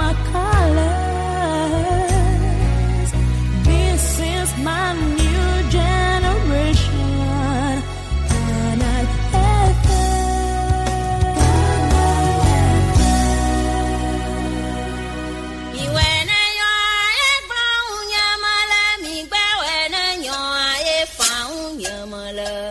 my colors. This is my new generation. Canal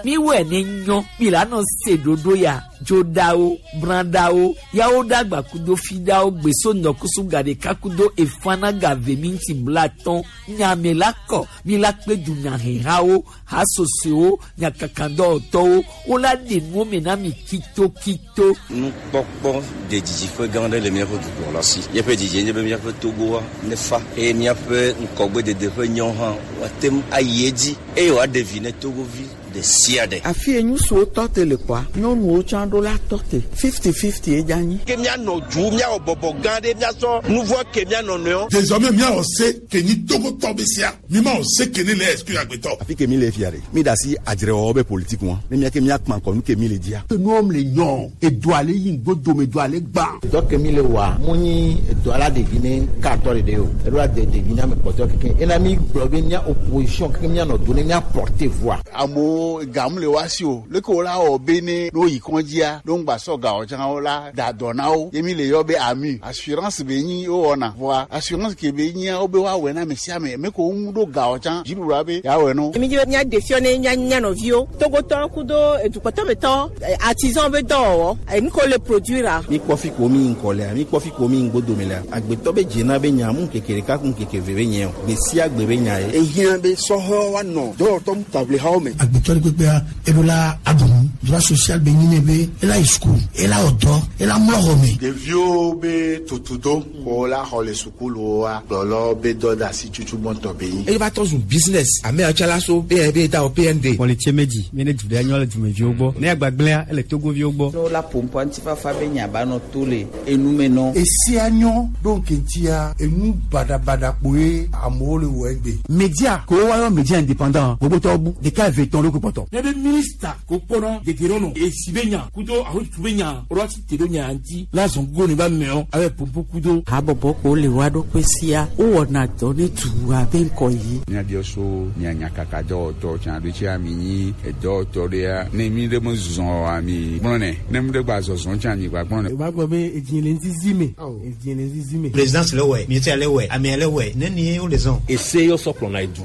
Miwɔe ne nyɔ mi la nɔ se ɖoɖo ya dzoɖawo brãɖawo yawo ɖagba kudo fiɖawo gbeso nɔkusu gaɖeka kudo efana gave minti blatɔn nyame la kɔ mi la kpe dunyahehawo hasosoewo nyakakadɔwɔtɔwo wola ɖe nuwo me na mi kitokito. Nukpɔkpɔ de didiƒe gã aɖe le míaƒe dukplɔla si. Míaƒe didie nye be míaƒe Togoa nefa eye míaƒe ŋkɔgbedede ƒe nyɔ hã woate ŋu ayi edzi eye wòaɖe vi ne Togovi ɖe sia ɖe. Afi ye ŋutsuwo tɔ te le kpɔa, nyɔnuwo tsã ɖo la tɔ te. 50-50 ye dze anyi. Ke míanɔ du, míawɔ bɔbɔ gã ɖe, míasɔ nu vɔ̃ ke mía nɔnɔewo. Désormais míawɔ se ke nyi Togotɔ be sia. Mi mawɔ se ke ne le exclure agbetɔ. Afi ke mi le fia ɖe, mi da asi adzrewɔwɔ be politique ŋua, ne mía ke míakpã ŋkɔ nu ke mi le dzia. Enuwo le nyɔ, edoa le yi ŋgodo me, doa le gbã. Dɔ ke mi le wɔa, mu nyi edoa la ɖevi ne katɔ ɖeɖe o, eɖo la de ɖevi ne ame kpɔtɔewo kekeŋ. Ena mi gblɔ be mía opposition kekeŋ míanɔ do ne mía porter voix. Amewo gam le woa si o, leke wo la wɔ be ne ne woyi kɔndzia, ne woŋgba sɔ gawo tsã wo la da dɔ na wo. Ye mi le yɔ be AMU, assurance be nyi wowɔna. Vɔa assurance ke be nyia, wobe woawɔe na ame sia ame. Ame kewo ŋu ɖo gawo tsã, dziɖuɖua be yeawɔe na wo. Mi dzi be míaɖe fiɔ ne mía mía nɔviwo, Togotɔwo kudo edukpɔtɔmetɔwo, artisan be dɔwɔwɔ, enu ke wole produire-a. Mi kpɔ fi ko mi ŋkɔ lea, mi kpɔ fi ko mi ŋgodo me lea, agbetɔ be dzena be nya mu ŋkeke ɖeka ku ŋkeke eve be nye o, gbe sia gbe be nya ye. Ehiã be sɔhɛwo woanɔ dɔwɔtɔ ŋutaʋlihawo me. Agbetɔ ɖe kpekpea, eɖo la aɖu nu. Droit social be nyi nɛ be ela yi suku, ela wɔ dɔ, ela mlɔ xɔ me. Ɖeviwo be tutudo ko la xɔ le sukuluwoa, kplɔlawo be dɔdeasi tutu gbɔntɔ be nyi. Eye va trɔ zu business. Ame yawo tsã la so be be da wɔ PND. Kpɔlitse medzi mi ne du ɖe nyɔ le dumeviwo gbɔ. Ne agbagblẽa ele Togoviwo gbɔ. Ne wola ƒo ŋutifafa be nya ba nɔ to le enu me nɔ. Esia nyɔ ɖo ŋkeŋtia enu baɖabaɖa kpoe amewo le wɔ egbe. Media ko woayɔ media indépendant gbogbotɔwo bu ɖeka eve tɔn ɖokui kpɔtɔ. Ne be minista ko kpɔnɔ dedienɔnɔ esi be nya kudo ahotutu be nya woɖo asi te ɖo nya ŋuti la zɔn gogo ne ba meɔ abe pompo kudo. Habɔbɔ ko le woa ɖokui sia wowɔna dɔ ne dua be ŋkɔ yi. Míabiɔ so mia nyakaka dɔwɔtɔ tsã ɖo tsia mi nyi edɔwɔtɔ ɖea ne mi ɖe me zɔ oa mi gblɔnɛ ne mi ɖe gba zɔzɔ tsã mi gba gblɔnɛ. O b'a gbɔ be edzi le ŋzizi me. Edzi le ŋzizi me. Présidence le wɛ, ministère le wɛ, amea le wɛ, ne ni wo le zɔn. Ese yɔ sɔ kplɔna edu.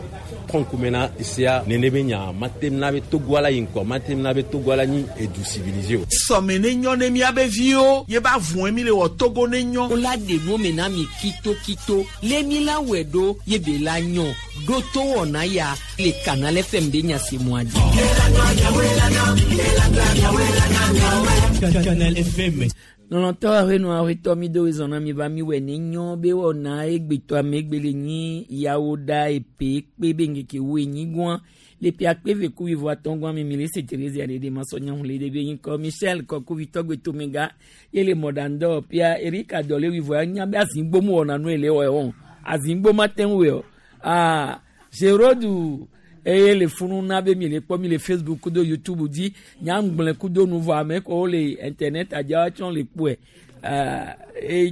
Trɔn kumena esea nene be nya matem na be Togoa la yi ŋkɔ, matem na be Togoa la nyi edu civilisé o. Sɔme ne nyɔ ne míabe viwo ye ba vɔe mi le wɔ Togo ne nyɔ. Wola ɖe nuwo me na mi kitokito le mi la wɔe ɖo ye be la nyɔ ɖo to wɔna ya le Canal FM be nya se mɔa dzi. Canal FM. Lɔlɔ̃tɔ ahenɔ ahetɔ mi do zɔn na mi va mi wɔ ne nyɔ be wɔna egbetɔ ame egbe le nyi yawo ɖa epe kpe be ŋkeke wo enyi gɔa le ƒe akpe eve ku wuieve atɔ̃ gɔa mi mi le se Therese aɖe ɖe masɔ nyahu le ɖe be nyi kɔ Michel Kɔkuvitɔ gbetomega ye le mɔɖaŋdɔ ƒea Erika dɔ le wuieve anya be azigbo mu wɔna nu ele wɔ wɔn azigbo ma te ŋu wɔ aa Gérodu eye le funu na be mi le kpɔ mi le Facebook kudo YouTube dzi nyagblẽ kudo nu vɔ ame kɔwo le internet adzawo tsɔ le kpɔe aa eye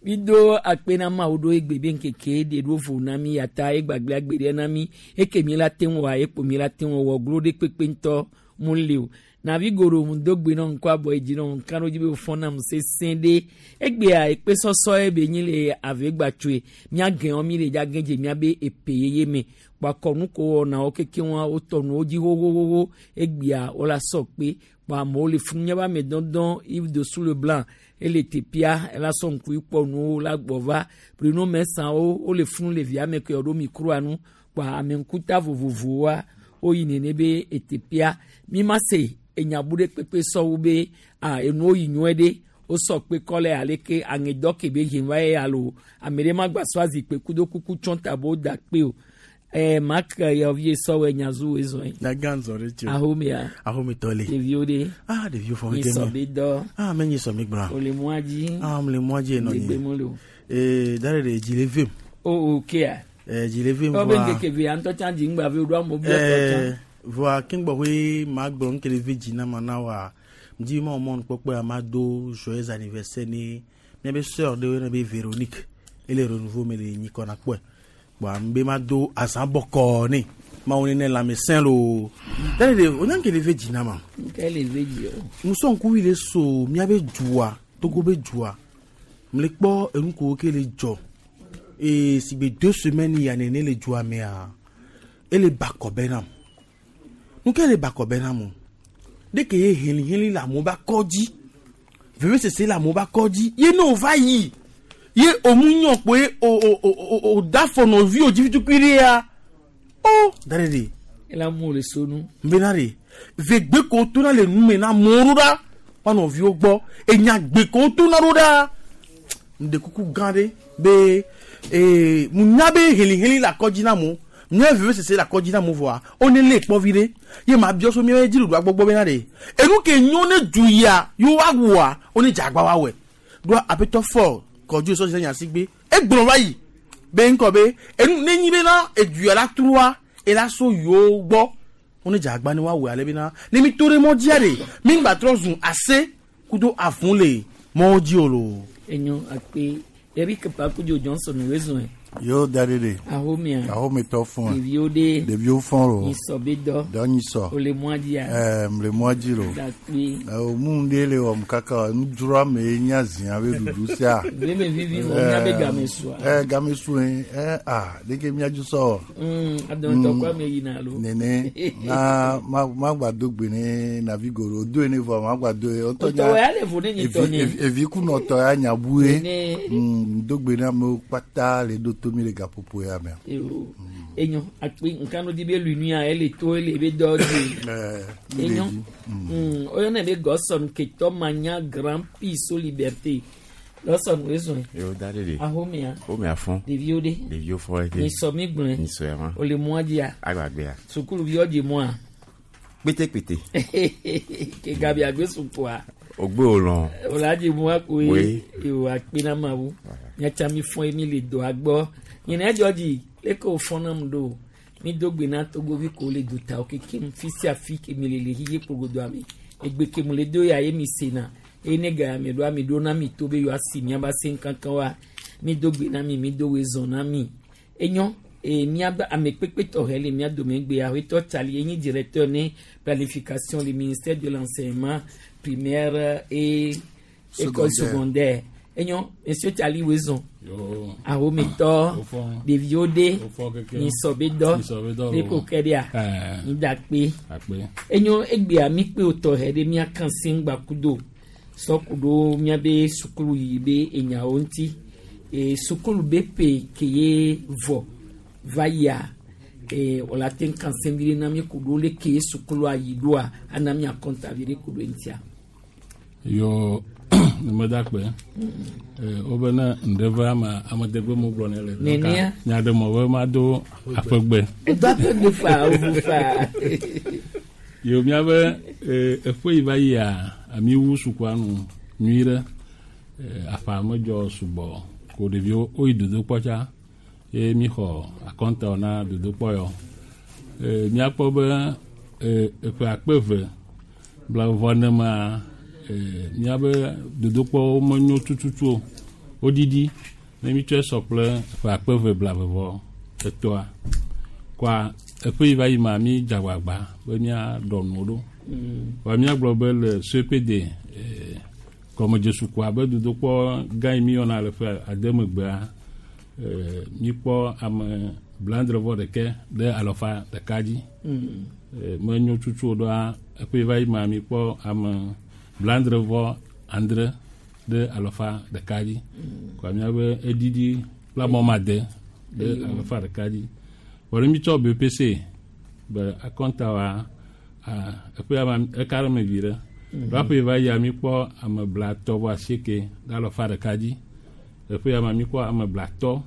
mi do akpe na Mawu ɖo egbe be ŋkeke ɖe ɖo vo na mi yata egbagble agbe ɖe na mi eke mi la te ŋu wɔa ekpo mi la te ŋu wɔ glo ɖe kpekpe ŋutɔ mu le o navi goro mu do gbe nɔ ŋkɔ abɔ edzi nɔ ŋka ɖo dzi be wofɔ nam sesẽ ɖe egbea ekpe sɔsɔ ye be nyi le ave gbatsoe miagɛ̃ mi le dza gɛ̃ dze miabe epe yeye me kpakɔ nu ko wɔna wo keke wɔn wotɔ nuwo dzi xoxoxoxo egbea wola sɔ kpe kpɔ amewo le funu miabe ame dɔdɔn Yves Dossou le Blanc ele teƒea ela sɔ ŋku kpɔ nuwo la gbɔ va Bruno Mɛsawo wole funu le via me ke ɖo mikroa nu kpɔ ame ŋkuta vovovowoa woyi nene be eteƒea mi ma se enyabu ɖe kpekpe sɔwu be a enuwo yi nyuie ɖe wosɔ kpe kɔ le aleke aŋedɔ ke be hem va ye alo ame ɖe ma gba sɔ azikpe kudo kuku tsɔn ta bo da kpe o ɛɛ mak yɔvi sɔwɔ nyazu ezɔn. Nyagan zɔ ɖe tso. Ahomea. Ahometɔ le. Ɖeviwo ɖe. Ah ɖeviwo fɔ mi sɔ be dɔ. Ah mɛ nyi sɔ mi gblɔ. O le mɔa dzi. Ah mo le mɔa dzi nɔ nyi. Egbe mo le o. Ee da ɖe ɖe dzi le vem. O o kea. Ɛɛ dzi le vem vɔa. Ɔbɛ nkeke ve ŋutɔ tsã dzi ŋgba ve o ɖo amewo bi ɔtɔ tsã. Ɛɛ vɔa keŋgbɔ hoe ma gblɔ ŋke le ve dzi na ma na wa dzi ma mɔnu kpɔkpɔ ya ma do joyeux anniversaire ne. Miabe sœur ɖe woyɔna be Véronique ele renouveau me le nyikɔ na kpɔe. Kpoa ŋbe ma do azã bɔkɔɔ nɛ. Mawu ne nɛ lãmesẽ loo. Dale ɖe wonya ŋke le ve dzi na ma. Ŋke le ve dzi o. Musɔ ŋkuvi le so miabe dua Togo be dua. Mle kpɔ enu ko ke le dzɔ. Eye sigbe deux semaines ya nene le dua mea ele bakɔ be nam. Nu ke le bakɔ be nam o. Ɖeke ye heliheli le amewo be akɔ dzi. Vevesese le amewo be akɔ dzi. Ye ne wòva yi ye òmu nyɔ kpo ye o o o o o da afɔ nɔviwò dzi vitukui ɖea o da ɖe ɖe. Ela mu le sonu. Bena ɖe vegbe ko wotona le nu me na amewo ɖo ɖa woa nɔviwo gbɔ. Enya gbe ko wotona ɖo ɖa. Ŋɖe kuku gã ɖe be ee munya be heliheli le akɔ dzi na amewo. Mía vevesese le akɔ dzi na amewo vɔa wone lé kpɔ viɖe. Ye ma biɔ so míaƒe dziɖuɖua gbɔgbɔ bena ɖe enu ke nyo ne du yia yewo wa wɔa wone dze agba wa wɔe. Ɖoa aƒetɔ Ford kɔdzo sɔ dzi nya sigbe egblɔ va yi be ŋkɔ be enu ne nyi bena edu ya la trɔa ela so yewo gbɔ wone dze agba ne wa wɔe ale bena ne mi to ɖe mɔ dzia ɖe mi ŋgba trɔ zu ase kudo avũ le mɔwo dzi o loo. Enyo akpe Eric Pakudzo Johnson wezɔe. Yo da ɖe ɖe. Ahomea. Ahometɔ fɔn. Ɖeviwo ɖe. Ɖeviwo fɔn lo. Nyisɔ be dɔ. Dɔ nyisɔ. Ole mɔa dzia. Ɛɛ mle mɔa dzi lo. Dakpe. Ɛ mu ɖe le wɔm kaka nudzroa me ye nye azia be ɖuɖu sia. Veme vivi vɔ mía be game sua. Ɛ game sue ɛ a ɖeke mía dzi sɔ. Adɔntɔ kɔ ame yina alo. Nene na ma ma gba do gbe ne navi goro do ne vɔ ma gba do ye. Otɔ ya le vo ne nyi tɔ nye. Evi kunɔtɔ ya nya bu ye. Nene. Do gbe na amewo kpata le ɖo to mi le gaƒoƒo ya mea. Eyo. Enyo akpe nkanu di be lunuya ele to ele be dɔ di. Enyo. Oyɔna be Gɔsɔn ketɔ manya grand piso liberté. Gɔsɔn wezɔn. Yo da ɖe ɖe. Ahomea. Homea fɔn. Ɖeviwo ɖe. Ɖeviwo fɔn ete. Nyisɔ mi gblɔe. Nyisɔ ya ma. Ole mɔa dzia. Agbagbea. Sukuluviwo dzi mɔa. Kpete kpete. Ke gabi agbe sukua. Ogbe olɔ. Ola dzi mɔa koe. Oui. Ewo akpe na Mawu. Miatsa mi fɔn ye mi le dɔa gbɔ. Nyina edzɔ dzi leke wòfɔn nam ɖo. Mi do gbe na togovi ko le dutawo kekem fi sia fi ke mi le le xixe kpogodoa me. Egbe ke mu le do ya ye mi sena. Eye ne ga ya mi ɖoa mi ɖo na mi to be yewoa si miaba se ŋkankan wa. Mi do gbe na mi mi do wezɔn na mi. Enyo e miaba ame kpekpe tɔxɛ le mia dome gbe aƒetɔ Tsali enyi directeur ne planification le ministère de l'enseignement primaire et école secondaire. Enyo monsieur Tsali wezɔn. Yo. Ahometɔ Wofɔn. ɖeviwo ɖe Wofɔn kekeŋ. nyisɔ be dɔ Nyisɔ be dɔ ne lo. ko kɛ ɖea Ɛɛ. ŋdakpe. Akpe. Enyo egbea mi kpe wòtɔ hɛ ɖe mía kan si ŋgbakudo sɔkuɖo míabe sukulu yi be enyawo ŋuti. E sukulu be pe ke ye vɔ va yia e wòle te kan se vi ɖe na mi ku ɖo leke ye sukulua yi ɖoa ana mía kɔnta vi ɖe ku ɖo eŋutia. Yo numedakpe. Wobe ne ŋɖe va ama amedegbe mu gblɔ ne le. Nenea? Nya ɖe mɔ be mado aƒegbe. Edo aƒegbe faa wovu faa. Yo míabe eƒe yi va yia ami wu sukua nu nyui ɖe. Aƒea medzɔ sugbɔ ko ɖeviwo woyi dodokpɔ tsa ye mi xɔ akɔnta na dodokpɔ yɔ. Míakpɔ be eƒe akpe eve blaeve nema míabe dodokpɔwo menyo tututu o. Woɖiɖi ne mítsɔe sɔ kple eƒe akpe eve blaeve vɔ etɔa. Kɔa eƒe yi va yi ma mi dze agbagba be míaɖɔ nuwo ɖo. Vɔ míagblɔ be le CPD gɔmedzesukua be dodokpɔ gã yi míyɔna le ƒe ade megbea míkpɔ ame blaadre vɔ ɖekɛ ɖe alɔfa ɖeka dzi. Menyo tutu o ɖoa eƒe yi va yi ma míkpɔ ame blaadre vɔ adre ɖe alɔfa ɖeka dzi. Kɔa míabe eɖiɖi kple amɔmade ɖe alɔfa ɖeka dzi. Vɔ ne mítsɔ BPC be akɔnta wa eƒe ama eka ɖe me vi ɖe. Ɖo aƒe yi va yia míkpɔ ame blatɔ vɔ asieke ɖe alɔfa ɖeka dzi. Eƒe ya ma míkpɔ ame blatɔ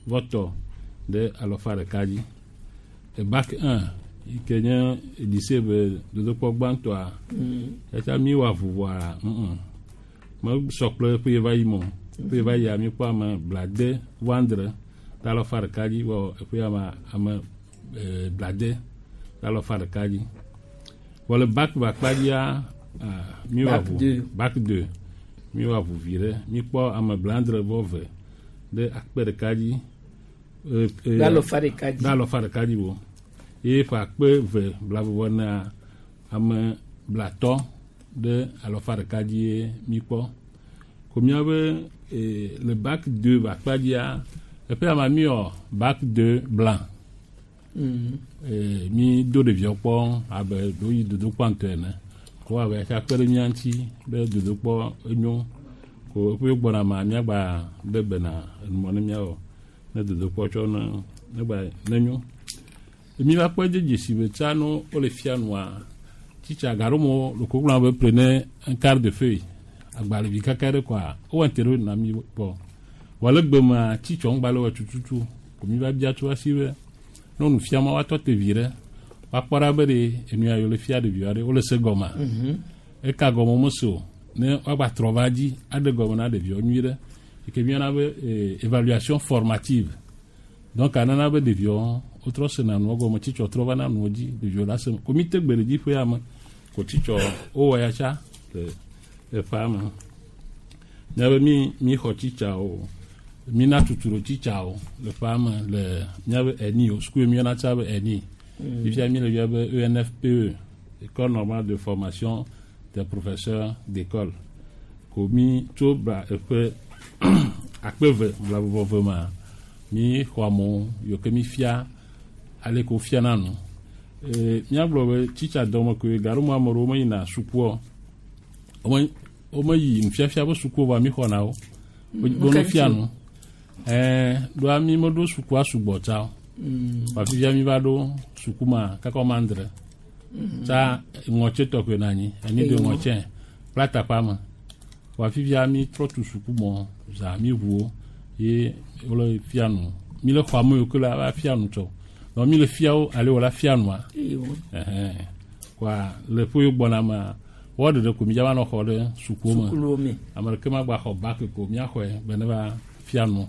vɔ tɔ ɖe alɔfa ɖeka dzi. Bac 1 yi ke nye lycée be dodokpɔ gbãtɔa etsa mi wɔ avu vɔa mesɔ kple eƒe yi va yi me o. Eƒe yi va yia míkpɔ ame blade vɔ adre ɖe alɔfa ɖeka dzi vɔ eƒe ya ma ame blade ɖe alɔfa ɖeka dzi. Vɔ le bac be akpa dzia mi wɔ Bac avu deux. bac 2 Mi wɔ avu vi ɖe. Mi kpɔ ame blaadre vɔ ve ɖe akpe ɖeka dzi. Ɖe alɔfa ɖeka dzi. Ɖe alɔfa ɖeka dzi wo. Ye ƒe akpe ve blavɔ na ame blatɔ ɖe alɔfa ɖeka dzi ye mi kpɔ. Ko míabe le bac 2 be akpa dzia, eƒe ama mi wɔ bac 2 blanc. Mi do ɖeviawo kpɔ abe ɖewo yi dodokpɔ ŋutɔ ene. Ko abe atsa kpe ɖe mía ŋuti be dodokpɔ enyo. Ko eƒe gbɔna ma míagba ɖe gbe na enumɔ ne míawɔ ne dodokpɔ tsɔ ne ne gba ne nyo. Mi va kpɔ de dzesi be tsa no wole fia nua tsitsa gaɖo mo loko gblɔ be prenez un quart de feuille agbalẽvi kaka ɖe kɔa wowɔ ŋte na mi kpɔ. Vɔ le gbe mea tsitsɔ ŋgba le wɔ tututu ko mi va bia tso asi be ne nu fia ma woatɔ te vi ɖe woakpɔ ɖa be ɖe enu ya le fia ɖeviwo ɖe wole se gɔmea. Eka gɔme womese o ne woagba trɔ va dzi aɖe gɔme na ɖeviwo nyui ɖe yi ke míyɔna be évaluation formative. Donc anana be ɖeviwo wotrɔ sena nua gɔme tsitsɔ trɔ va na nuwo dzi ɖeviwo la se ko mi te gbe ɖe dzi ƒe ya me ko tsitsɔ wowɔ ya tsa le eƒea me. Míabe mi mi xɔ tsitsawo mi na tuturo tsitsawo le ƒea me le míabe ENI o suku mi yɔna tsa be ENI. Fifia mi le yɔ be ENFPE, École normale de formation des professeurs d'école. Ko mi tso bla eƒe akpe ve blavɔvɔ ma mi xɔ amewo yiwo ke mi fia ale ko fiana nu. Míagblɔ be tsitsa dɔme koe gaɖo ame ɖewo meyina sukua wome womeyi nufiafia be sukuwo vɔa mi xɔna wo. Wo nu fia nu. Ɖoa mi meɖo sukua sugbɔ tsa o. Vɔa fifia mi va ɖo suku ma kaka wɔme adre. Tsa ŋɔtse tɔ koe nɔ anyi eni do ŋɔtse kple atakpa me. Vɔa fifia mi trɔ tu suku mɔ za mi ʋu wo ye wole fia nu. Mi le xɔ ame yiwo ke la va fia nu tsɔ. Donc mi le fia wo ale wòla fia nua. Ɛhɛn. Kɔa le ƒe yiwo gbɔna mea wɔ ɖeɖe ko mi dza va nɔ xɔ ɖe sukuwo me. Sukuluwo me. Ame ɖeke magba xɔ bac ko míaxɔe be ne va fia nu.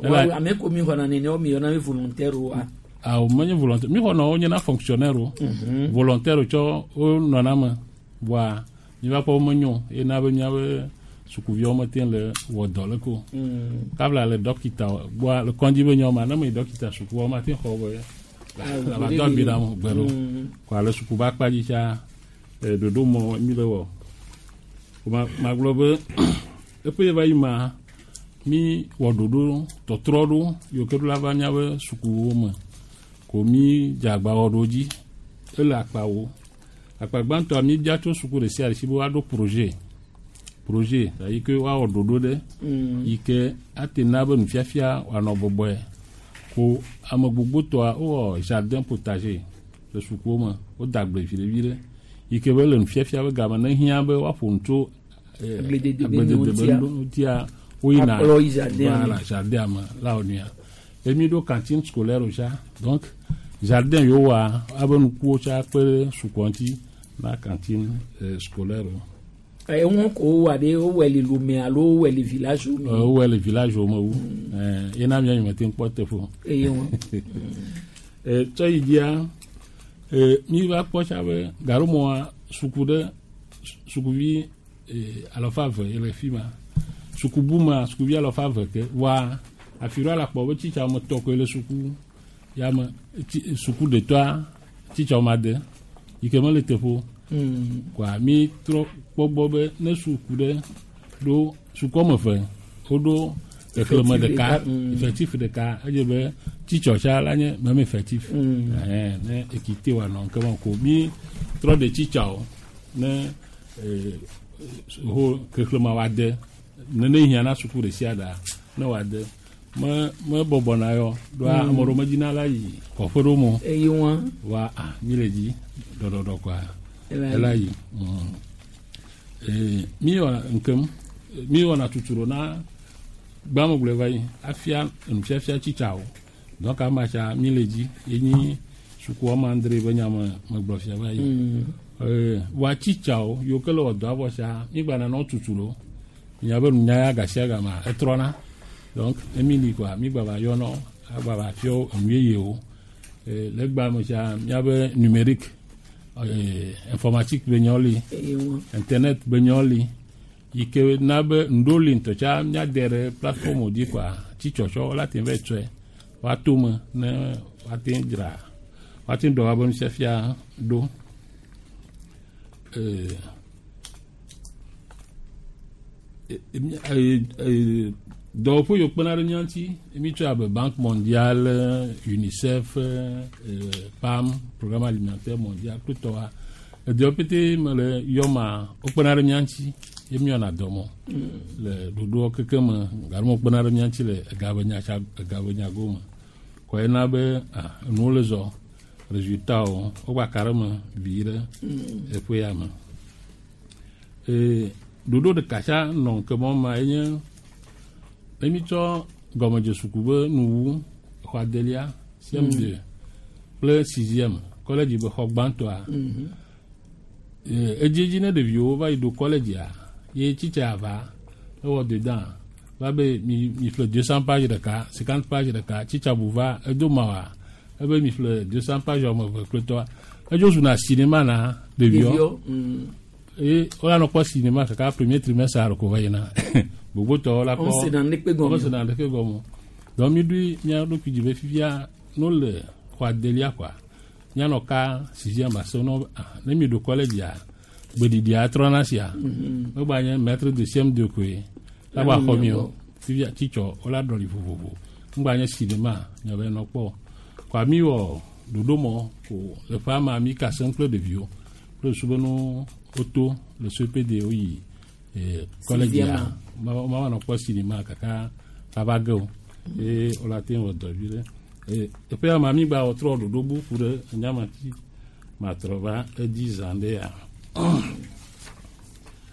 Wa ame ko mi xɔna nene wo mi yɔna be volontaire wa. Awo menye volontaire mi xɔna wo nyena fonctionnaire o. Volontaire tsɔ wo nɔna me voa mi va kpɔ wo menyo ye na be míabe sukuviwo mete le wɔ dɔ le ko. Kabla le dɔkita gbɔa le kɔndzi be nyɔ ma ne me yi dɔkita sukuwo ma te xɔ be la va dɔ abi na mo gbe ɖo. Kɔa le suku be akpa dzi tsa ɖoɖo mɔ mi le wɔ. Ko ma magblɔ be eƒe yi va yi ma mi wɔ ɖoɖo tɔtrɔ ɖo yiwo ke ɖo la va míabe sukuwo me ko mi dze agba wɔ ɖo dzi ele akpawo. Akpa gbãtɔa mi bia tso suku ɖe sia ɖe si be woaɖo projet yi ke woawɔ ɖoɖo ɖe yi ke ate na be nufiafia wòanɔ bɔbɔe ko ame gbogbotɔa wowɔ jardin potager le sukuwo me woda agble vi ɖe vi ɖe yi ke be le nufiafia be game ne hiã be woaƒo nu tso Agbledede be agbledede be ŋutia. ŋutia woyina Akplɔ yi jardin me. voilà jardin me la wɔ nuya ye mi ɖo cantine scolaire tsa donc jardin yiwo wɔa abe nukuwo tsa kpe ɖe sukua ŋuti na cantine scolaire o. Eŋu ko wowɔ ɖe wowɔe le Lomé alo wowɔe le village wo me. Wowɔe le village wo me wu. Ye na mía nyemete ŋu kpɔ teƒe o. Eye wɔn. Tsɔ yi dzia mi va kpɔ tsa be gaɖomɔa suku ɖe sukuvi alafa eve ye le fi ma suku bu ma sukuvi alafa eve ke wa afi ɖo ala kpɔ be tsitsa wɔme etɔ̃ koe le suku ya me tsi suku ɖetɔa tsitsa wɔme ade yi ke mele teƒe o. Kɔa mi trɔ kpɔ gbɔ be ne suku ɖe ɖo suku wɔme eve woɖo xexlẽme ɖeka effectif ɖeka edze be tsitsɔ tsa la nye même effectif. Ne équité wòanɔ ŋke ko mi trɔ ɖe tsitsawo ne ho xexlẽme wòade nene hiã na suku ɖe sia ɖea ne wòade me me bɔbɔna yɔ ɖoa ame ɖewo medina la yi kɔƒe ɖo me o. Eye wɔn. Wa a mi le dzi ɖɔɖɔɖɔ kɔa Ela yi. ela yi. Mi wɔna ŋkem mi wɔna tuturo na gbamegblɔe va yi afia enufiafia tsitsawo donc ama tsa mi le dzi ye nyi suku wɔme adre be nya me megblɔ fia va yi. Wa tsitsawo yiwo ke le wɔ dɔ avɔ tsa mi gba nana tuturo nya be nunya ya gasia gama etrɔna donc emi li kɔa mi gba va yɔnɔ agba va fia enu yeyewo. Le gba me tsa miabe numérique informatique be nyawo li Eye wɔn. internet be nyawo li. Yi ke na be ŋɖewo li ŋutɔ tsa míade ɖe plateforme dzi kɔa tsitsɔtsɔ la te va tsɔe woato me ne woate dzra woate ɖɔ woabe nufiafia ɖo. Ee, dɔwɔƒe yiwo kpena ɖe mía ŋuti mítsɔe abe Banque Mondiale, UNICEF, PAM, Programme Alimentaire Mondial kple tɔwa. Edɔwo pete me le yɔ ma wokpena ɖe mía ŋuti ye míwɔna dɔ mɔ le ɖoɖoa keke me gake wokpena ɖe mía ŋuti le ega be nya tsa ega be nya gome. Kɔ yena be ah enuwo le zɔ résultat wo wogba ka ɖe eme vi ɖe eƒe ya me. Ee, ɖoɖo ɖeka tsa nɔ ŋke mɔ ma enye ne mítsɔ gɔmedzesuku be nuwu xɔ adelia CM2 kple sixième kɔlɛdzi be xɔ gbãtɔa edziedzi ne ɖeviwo va yi ɖo kɔlɛdzia ye tsitsa va ewɔ dedans va be mi mi ƒle 200 page ɖeka 50 page ɖeka tsitsa bu va edo ma wa ebe mi ƒle 200 page wɔme eve kple tɔa edzo zuna cinéma na ɖeviwo eye wola nɔ kpɔ cinéma kaka premier trimestre alo ko va yina gbogbotɔwo la kpɔ Womesena ŋɖekpe gɔme o. womesena ŋɖeke gɔme o. Donc mi ɖui mía ɖokui dzi be fifia no le xɔ adelia kɔa míanɔ ka sixième ase no ah, ne mi ɖo kɔlɛdzia gbeɖiɖia trɔna sia megba nye maître de CM2 koe la gba xɔ mi o fifia tsitsɔ wola ɖɔli vovovo ŋgba nye cinéma miabe nɔ kpɔ kɔa mi wɔ ɖoɖo mɔ ko le ƒe ama mi ka sem kple ɖeviwo kple susu be no woto le CPD woyi kɔlɛdzia Sixième. ma ma nɔ kpɔ cinéma kaka ava ge o eye wola te wɔ dɔ vi ɖe eye eƒe ama mi gba wɔ trɔ ɖoɖo bu ku ɖe enyamati matrɔ va edzi zã ɖe ya.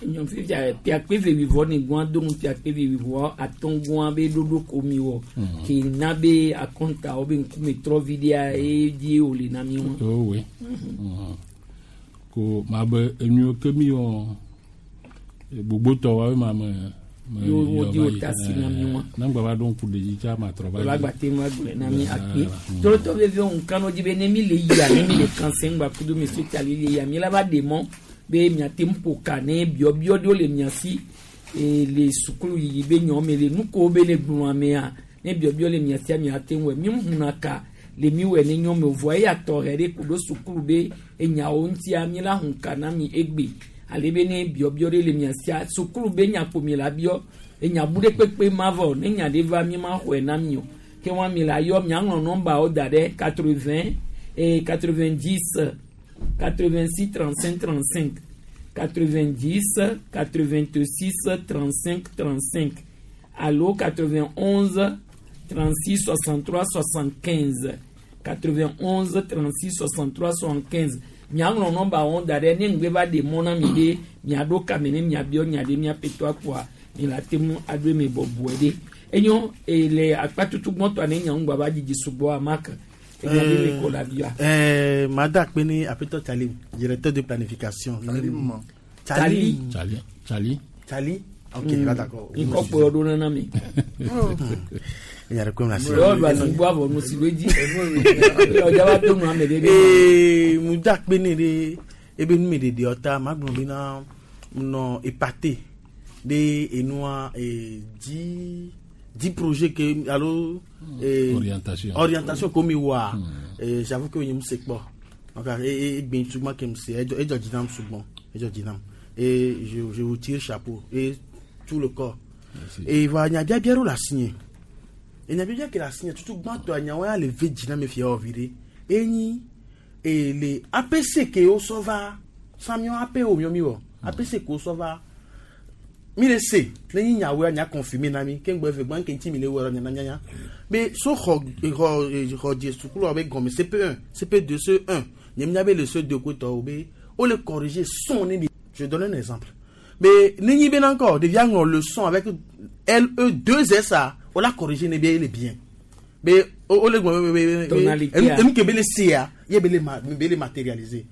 Nyɔ fifia piakpe ve wivɔ ne gɔn do nu piakpe ve wivɔ atɔn gɔn be ɖoɖo ko mi wɔ ke na be akɔntawo be ŋkume trɔ vi ɖea eye die wòle na mi wa. Owe. Ko ma be enuwo ke mi wɔ gbogbotɔ wa be ma me me Yo wo yɔ di va wo yi. ta si na mi wa. Ne ŋgba va ɖo ŋku ɖe dzi tsa ma trɔ va Wòle dzi. agbate ŋu agblɔe na mi akpe. Mm. Tɔlɔtɔ veviwo ŋkano dzi be ne mi le yia ne mi le kansɛn gba kudo monsieur Tali le yia mi la va ɖe mɔ be miate ŋu ƒo ka ne biɔbiɔ ɖewo le mia si e, le sukulu yiyi be nyɔ me le nukowo be le gblɔ amea ne biɔbiɔ le mia sia miate ŋu wɔ mi ŋuna ka le mi wɔ ne nyɔ me o vɔa eya tɔxɛ ɖe ku ɖo sukulu be enyawo ŋutia mi la hun ka na mi egbe ale be ne biɔbiɔ ɖe le mia sia sukulu be nyakpo mi la biɔ enya bu ɖe kpekpe ma vɔ ne nya ɖe va mi ma xɔe na mi o ke wa mi la yɔ miaŋlɔ nɔmbawo da ɖe 80 et 90 86 35 35 90 86 35 35 allo 91 36 63 75 91 36 63 75 miaŋlɔ nɔmba wɔn da ɖe ne ŋgbe va ɖe mɔ na mi ɖe miaɖo kame ne miabiɔ nya ɖe miaƒetɔ akpɔa mi la te ŋu aɖo eme bɔbɔe ɖe enyo e le akpatutu gbɔtɔa ne nya ŋgba va dzidzi sugbɔ amaka enya ɖe le ko la bia. Mada Akpene Apeto Tali, directeur de planification. Talim. Tali. Tali. Tali. Tali. Ok, là d'accord. Nkɔ kplɔ ɖo nana mi. Il y a le la Yɔ ba si gbɔ avɔ nu si do dzi. Yɔ dza va do nu ame ɖe ɖe. Ee, Muda Akpene de ebe nu me ɖeɖe ɔta magblɔ bena nɔ épaté de enua eh, dix dix projets ke alo eh, Orientation. orientation ko mi wa eh, j'avoue que nyem se kpɔ donc e e gbin tugba ke m se edzɔ edzɔ dzi nam sugbɔn edzɔ dzi nam et je je vous tire chapeau et tout le corps et va nyabiabia ɖo le asinye enyabiabia ke le asinye tutu gbãtɔ nyawo ya le ve dzi na mi fia wɔ vi ɖe enyi e le APC ke wosɔ va samiɔ AP wo miɔ mi wɔ APC ke wosɔ va mi le se ne nyi nyawoe nya confirmer na mi ke ŋgbɔ eve gbã ke ŋuti mi le wɔ nya nyanya be so xɔ xɔ xɔ dze sukulu be gɔme CP1 CP2 C1 nye mi nya be le C2 ko tɔwo be wo le corriger son ne de je donne un exemple be ne nyi be na encore ɖevia ŋlɔ le son avec L E 2 S A wo la corriger ne be ele bien be wo le gblɔ be be be Tonalité a. enu ke be le sea ye be le ma be le matérialiser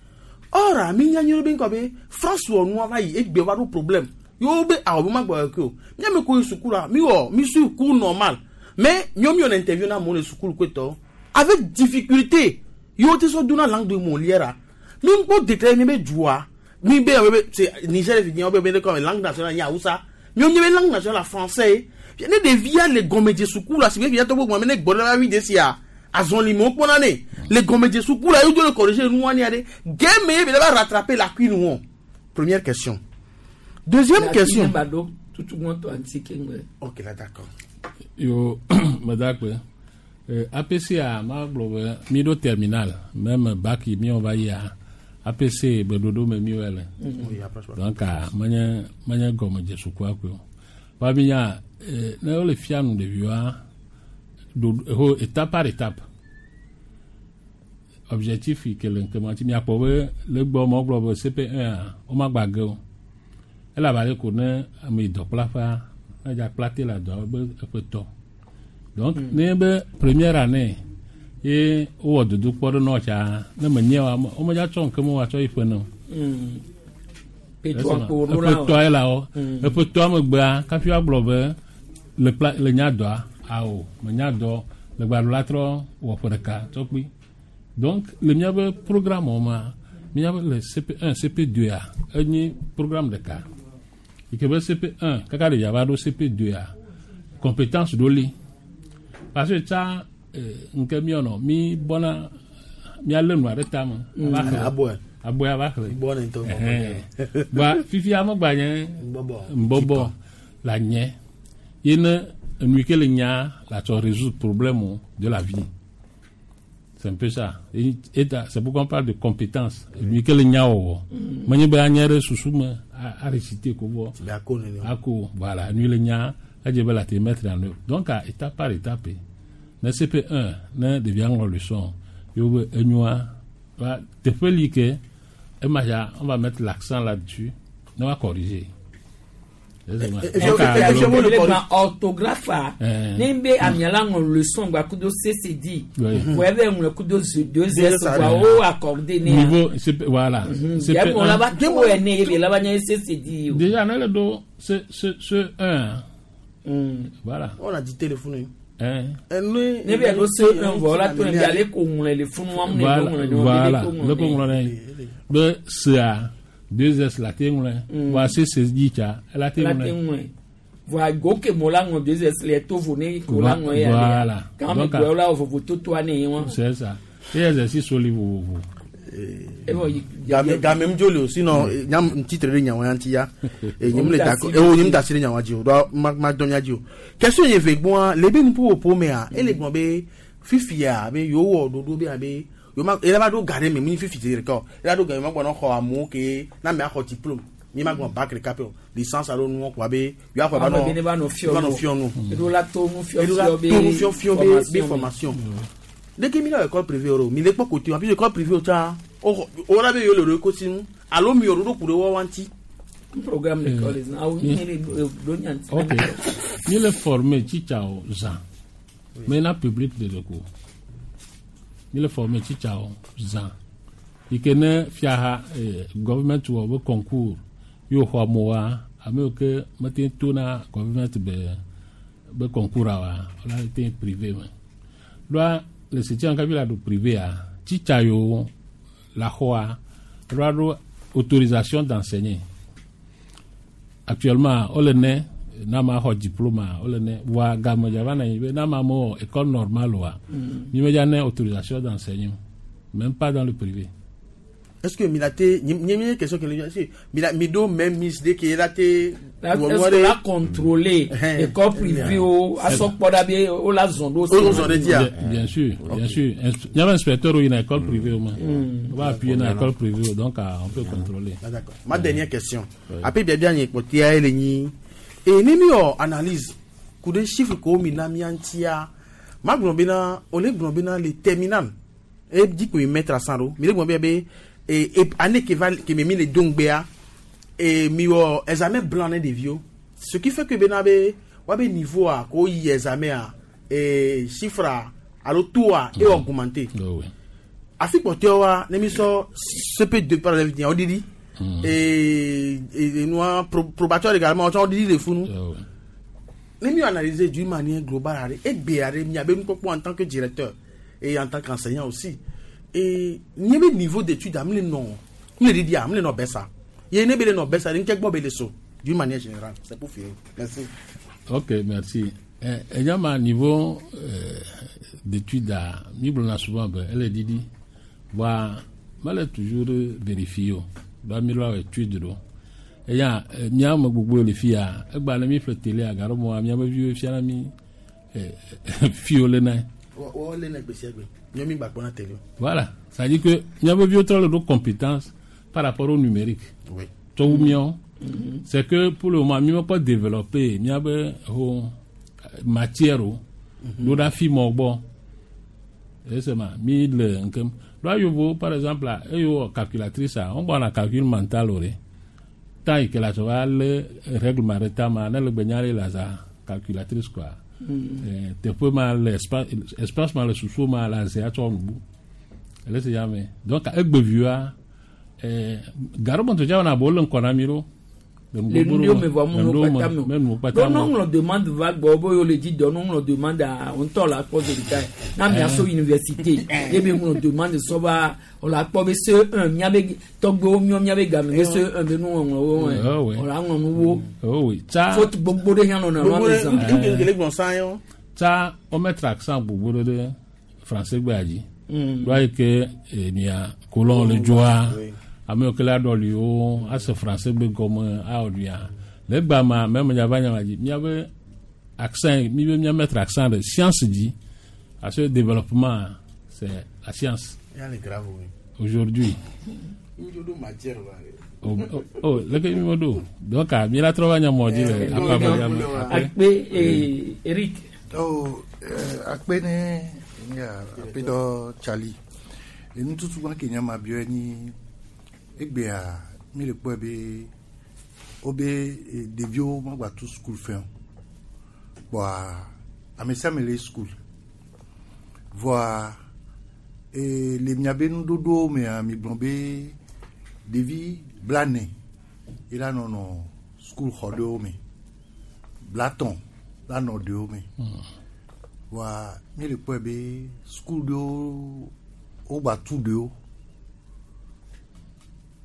or mi nya nyuie be ŋkɔ be France wɔ nua va yi egbe va ɖo problème yewo be awɔ be ma gbɔ ke o míame ko yi sukulu mi wɔ mi suit cours normal mais miɔ mi wɔ interview na amewo le sukulu ko avec difficulté yewo te sɔ dona langue de Molière a mi ŋkpɔ déclaré mi be dua Mi be be c'est Niger vi be be comme langue nationale nya Hausa. Mi on be langue nationale français. Ne ɖevia le gɔmedze suku la si be via tɔgbo gbɔn me ne gbɔ ɖe la vi de sia azɔli me wokpɔna ne le gɔmedze suku la yewo le corriger nua nia ɖe gɛmɛ ye be la va rattraper la cuine wɔn. Première question. Deuxième question. Ok là, d'accord. Yo medakpe APC a ma gblɔ be mi ɖo terminal même bac yi miawo va yia APC be ɖoɖo me mi le. Donc menye gɔmedze sukua koe o. Va mi nya ne wole fia nu ɖeviwoa ɖo ho étape par étape. Objectif yi ke le ŋkeme ŋuti miakpɔ be le gbɔ ma wogblɔ be CP1 a womagba ge o. Elabe ale ko ne ame yi dɔkplaƒea edza kpla te le dɔa be eƒe tɔ. Donc ne be première année ye wowɔ dodokpɔ ɖe nɔ tsa ne menye wa womedza tsɔ ŋke me woatsɔ yi ƒe ne o. Eƒe tɔa ye la wɔ. Eƒe tɔa megbea kafi woagblɔ be le kpla le nya dɔa awo menya dɔ le gbaɖo la trɔ wɔ ƒe ɖeka tsɔ kpi. Donc le míaƒe programme wo ma míaƒe le CP1 CP2 a enye programme ɖeka. Yi ke be CP1 kaka ɖevia va ɖo CP2 a compétence ɖo li. Parce que tsa ŋke míɔnɔ mi bɔna míalé nua ɖe tame. Ava xlẽ. Abɔe. Abɔe ava xlẽ. Bɔne ŋutɔ. Ɛhɛn. Ba fifia megba nye Nbɔbɔ. nbɔbɔ la nye ye ne enu yi ke le nya la tsɔ résoudre problème de la vie. C'est un peu ça. Et c'est pourquoi on parle de compétence. Enu yi ke le nya wɔwɔ. Menye be anye ɖe susu me a réciter ko vɔ. Ako nene. Ako voilà enu yi le nya edze be la te mettre en œuvre. Donc à étape par étape. Ne CP1 ne ɖevia ŋlɔ leçon yewo be enyoa va teƒe li ke ema ya on va mettre l'accent là-dessus ne va corriger. Orthographe a ne be amia la ŋlɔ leçon gba kudo CCD wɔ ebe ŋlɔ kudo deux S gba o accordé ne. Niveau CP, voilà. CP1 la ba to ene ebe la ba nye CCD o. Déjà ne le do ce ce ce 1. Voilà. On a dit téléphone. Ne bɛ do C1 vɔ la to ne bi ale ko ŋlɔ le funu wa mu ne ko ŋlɔ ne Voilà, le ko ŋlɔ ne be CA deux S la te ŋlɔ wa C C dzi tsa la te La te ŋlɔ. Ŋlɔ voa go ke mo la ŋlɔ deux S le to vo ne ko la ŋlɔ ya. Voilà. Kan mi gbɔ la vovo toto ne ye wa. C'est ça. Et exercice soli vovovo. Game game ŋdzo le o sinon nyam titre ɖe nyawo ya ŋuti ya e nyem le d'accord e wo nyem da asi ɖe nyawoa dzi o ɖoa ma ma dɔn mia dzi o. Question ye ve gbɔa le be nuƒoƒo mea ele gblɔ be fifia be yewo wɔ ɖoɖo be abe yewo ma ela va ɖo ga ɖe me mu nyi fifi zi ɖeka o ela ɖo ga yewo ma gbɔnɔ xɔ amewo ke na amea xɔ diplôme mi ma gbɔn bac ɖeka pe o licence alo nuwɔ kɔa be yewoa xɔ Ame be ne va nɔ fiɔ va nɔ nu. fiɔ nu. Eɖo la to nu Eɖo la fiɔfiɔ be to nu fiɔfiɔ be formation. Formation leke mi le école privée o mi le kpɔ kote wa puis école privée o tsa o o la be yewo le ɖo kosi nu alo mi wɔ ɖoɖo ku ɖe wɔwa ŋuti. Programme l'école awo mi le do nyanti. Ok. Mi le former tsitsawo zã. Mais na public de le ko. Mi le former tsitsawo zã. Yi ke ne fiaha government wɔ be concours ye wòxɔ amewoa ame yiwo ke mete ŋu to na government be concours a wa wala te ŋu privé me. Ɖoa le septième kafi la ɖo privé a tsitsa yiwo la xɔa ɖoa ɖo autorisation d'enseigner. Actuellement wole ne na ma xɔ diplôme a wole ne voa game dza va na anyi be na ma mewɔ école normale oa mi medza ne autorisation d'enseigner même pas dans le privé. Est-ce que mi la te nye nye question ke le est-ce que mi la mi do même mise de ke la te. Est-ce que la contrôler école privée o asɔkpɔ ɖa be o la zɔn ɖo. O zɔn ɖe dzia. Bien sûr, bien sûr. Il y avait un inspecteur où il y a une école privée au moins. On va appuyer dans l'école privée, donc ah, on peut contrôler. Ah, d'accord. Ma dernière question. Après biabia nye kpɔtia ye le nyi e ne mi wɔ analyse ku ɖe chiffre ko mi na mia ŋutia ma gblɔ bena o le gblɔ bena le terminal e dzi ko mi mettre à cent ɖo mi le gblɔ bena be e année ke va ke mi le do ŋgbea e mi wɔ examen blanc ne ɖeviwo ce qui fait que bena be woabe niveau a ko yi examen a e chiffre a alo taux a e augmenté. Oh, oui. Afi kpɔtɔewoa ne mi sɔ CP2 par exemple wo ɖiɖi et nua probatoire également wotsɔ wo ɖiɖi le funu ne mi analyser d'une manière globale aɖe egbe aɖe miabe nukpɔkpɔ en tant que directeur et en tant qu'enseignant aussi et nye be niveau d'étude am le nɔ mi le ɖiɖia am le nɔ bɛsa. Ye ne be le nɔ bɛsa ɖe ŋkɛ gbɔ be le so d'une manière générale. C'est pour finir. Merci. Ok, merci. Enyama niveau d'étude a mi gblɔna souvent be ele ɖiɖi voa mele toujours vérifié o ba mi lɔ étude ɖo eya mía me gbogbo le fia egba ne mi ƒle télé gaɖo mɔa míabe viwo fiana mi fiwo le na. Wọ́n lé ní gbèsè gbè nyɔmi gbà kpọ́nà télé. Voilà, ça veut dire que míabe viwo trɔ le ɖo compétence par rapport au numérique. Oui. Tɔwu míawo. C'est que pour le moment mi mekpɔ développer míabe ho matière o ɖo ɖa fi mɔ gbɔ esema mi le ŋkem ɖo ayovo par exemple eye wɔ calculatrice a wɔn gbɔna calcul mental o de temps yi ke la sɔ va lé règle ɖe tama ne le gbe nya ɖe la za calculatrice quoi. Teƒe ma le espace espace ma le susu ma la ze atsɔ nubu ele se ya me donc egbeviwoa gaɖo dza wɔna bo le ŋkɔ na mi ɖo. Le nu ɖewo me vɔ mu nuwo kpata me o ɖo ne ŋlɔ demande va gbɔ be yewo le dzi dɔ ne ŋlɔ demande a ŋutɔ la kpɔ zeri ye na mia so université ye be ŋlɔ demande sɔ va o la kpɔ be C1 miabe tɔgbewo miɔ miabe game be C1 be nuŋɔŋlɔwo wɛ o la ŋlɔ nuwo oh oui tsa faute gbogbo ɖe hã nɔna nua me zã. Tsa wo mettre accent gbogbo ɖe ɖe français gbea dzi ɖo ayi ke enia colon le dzoa ame yiwo ke la ɖɔli wo ase français gbe gɔme awɔ nuya le egba ma mɛ me va nyama dzi miabe accent mi be mia mettre accent ɖe science dzi parce que développement, c'est la science. Y'a le grave, oui. Aujourd'hui. Matière, oh, oh, oh leke mi mo do donc mi la trɔ va nyamɔ dzi le akpa me. Akpe Eric. Oh, akpe ne ya akpe dɔ Charlie enututu wa ke nyama biɔ ni egbea mi le kpɔe be wobe ɖeviwo magba tu school fɛn o kpɔa ame sia ame le school voa le miabe nuɖoɖowo mea mi gblɔ be ɖevi 40 ye la nɔnɔ school xɔ ɖewo me 50 la nɔ ɖewo me voa mi le kpɔe be school ɖewo wogba tu ɖewo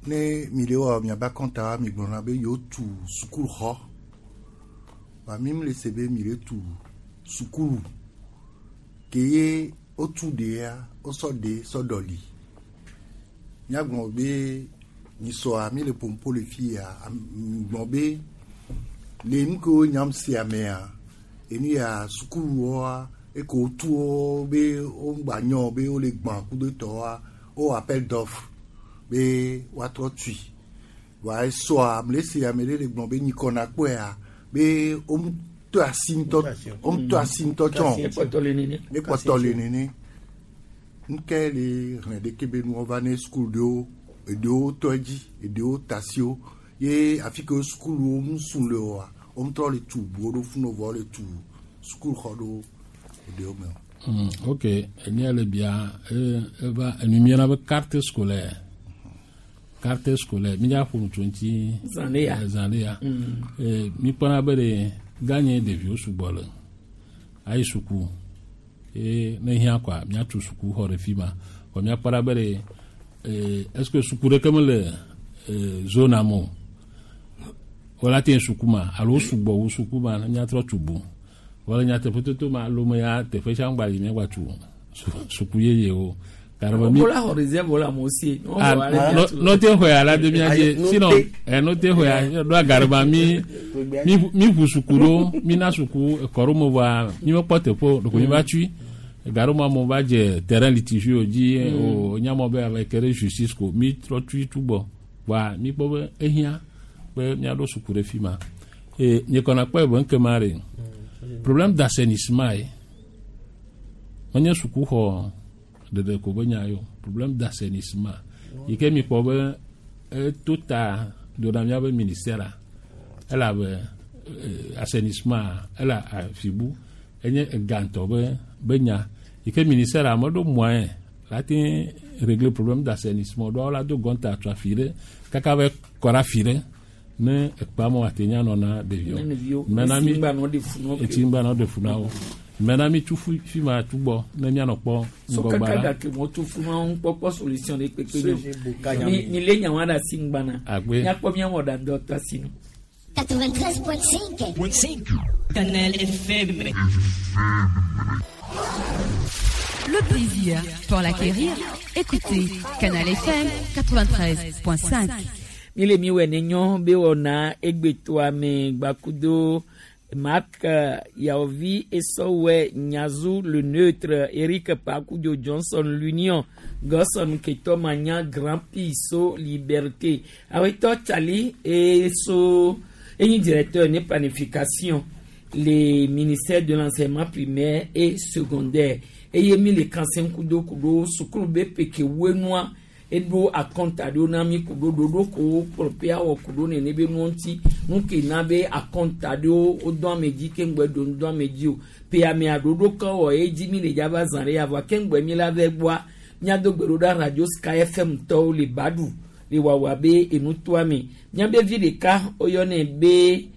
ne mi le wɔ miabe akɔnta mi gblɔna be yewo tu sukulu xɔ wa mi le se be mi le tu sukulu ke ye wotu ɖea wosɔ ɖe sɔ ɖɔli míagblɔ be nyisɔa mi le pompo le fi ya gblɔ be le nu kewo nyam sia mea enu ya sukuluwoa eke wotu wo be wogba nyɔ be wole gbã kudo tɔwoa wo appel d'offre be woatrɔ tui wa esɔa mle se ame ɖe le gblɔ be nyikɔna kpɔea be womtɔ asi ŋutɔ womtɔ asi ŋutɔ tsɔ ekpɔtɔ le nene ŋkɛ le hlẽ ɖeke be nuwo va ne sukulu ɖewo eɖewo tɔ edzi eɖewo tasiwo ye afi ke sukuluwo mu sun le oa womtrɔ le tu buwo ɖo funu vɔ le tu sukulu xɔ ɖo eɖewo me o. Ok, enye le bia eva enu miana be carte scolaire carte scolaire mi dza ƒo nu tso ŋuti Zã ɖe ya. Zã ɖe ya. Mi kpɔna be ɖe ganye ɖeviwo sugbɔ le ayi suku ye ne hiã kɔa miatu suku xɔ ɖe fi ma kɔ miakpɔna be ɖe est ce que suku ɖeke mele zone me o wala te suku ma alo sugbɔ wu suku ma ne miatrɔ tu bu wala nyateƒe toto ma lome ya teƒe sia ŋgba yi miagba tu suku yeyewo karaba mi Bola xɔ réserve wala mo si. Ah, no no te xɔe ala de mia dzi sinon no te xɔe ɖo agaraba mi mi mi ʋu suku ɖo mi na suku ekɔ ɖo me voa mi mekpɔ teƒe o ɖeko mi va tui gaɖo ma mo va dze terrain litigieux dzi o nyamɔ be ave ke ɖe justice ko mi trɔ tui tu gbɔ voa mi kpɔ be ehiã be miaɖo suku ɖe fi ma e nye kɔna kpɔe be ŋkema ɖe problème d'assainissement ye menye sukuxɔ ɖeɖe ko be nya yo problème d'assainissement yi ke mi kpɔ be eto ta do na miabe ministère a elabe assainissement ele afibu enye egantɔ be be nya yi ke ministère a meɖo moyen la te régler problème d'assainissement ɖo la do gɔnta tso afi ɖe kaka be kɔ ɖe afi ɖe ne ekpa me wòate nya nɔ na ɖeviwo ɖeviwo Mena mi Etsi ŋgba nɔ ɖe fu na wo. Etsi ŋgba nɔ ɖe fu na wo. Mɛna mi tu fi fi ma tu gbɔ ne mianɔ kpɔ So ŋgɔgba kaka la. gake mɔ tu fún wa ń kpɔkpɔ solution de kpekpe Soje mi. Mi mi lé nyawa ɖe asi ŋgbana. Agbe. Miakpɔ miawɔ ɖe ŋdɔ tɔ asi nu. 93.5. Canal FM. Le plaisir, pour l'acquérir, écoutez Canal FM 93.5. Mi le mi wɛ ne nyɔ be wɔna egbetoa me gbakudo Marc Yaovi Esowɛ Nyazu le neutre Eric Pakudio Johnson l'Union Gosson Ketomanya Grand Piso Liberté Awetɔ Tsali eso enyi directeur ne planification le ministère de l'enseignement primaire et secondaire eye mi le kanse kudo kudo sukulu be peke wenua eɖo akɔnta ɖewo na mi kudo ɖoɖo ko kplɔƒe awɔ kudo nene be nuwo ŋuti nu ke na be akɔnta ɖewo wodɔ ame dzi ke ŋgbɛ do ŋdɔ ame dzi o pe amea ɖoɖo ke wɔ edzi mi le dzava zã ɖe avɔa ke ŋgbɛ mi la vɛ gbɔa miado gbe ɖo ɖa radio sky fm tɔwo le baɖu le wɔwɔ be enutoa me miabe vi ɖeka woyɔnɛ be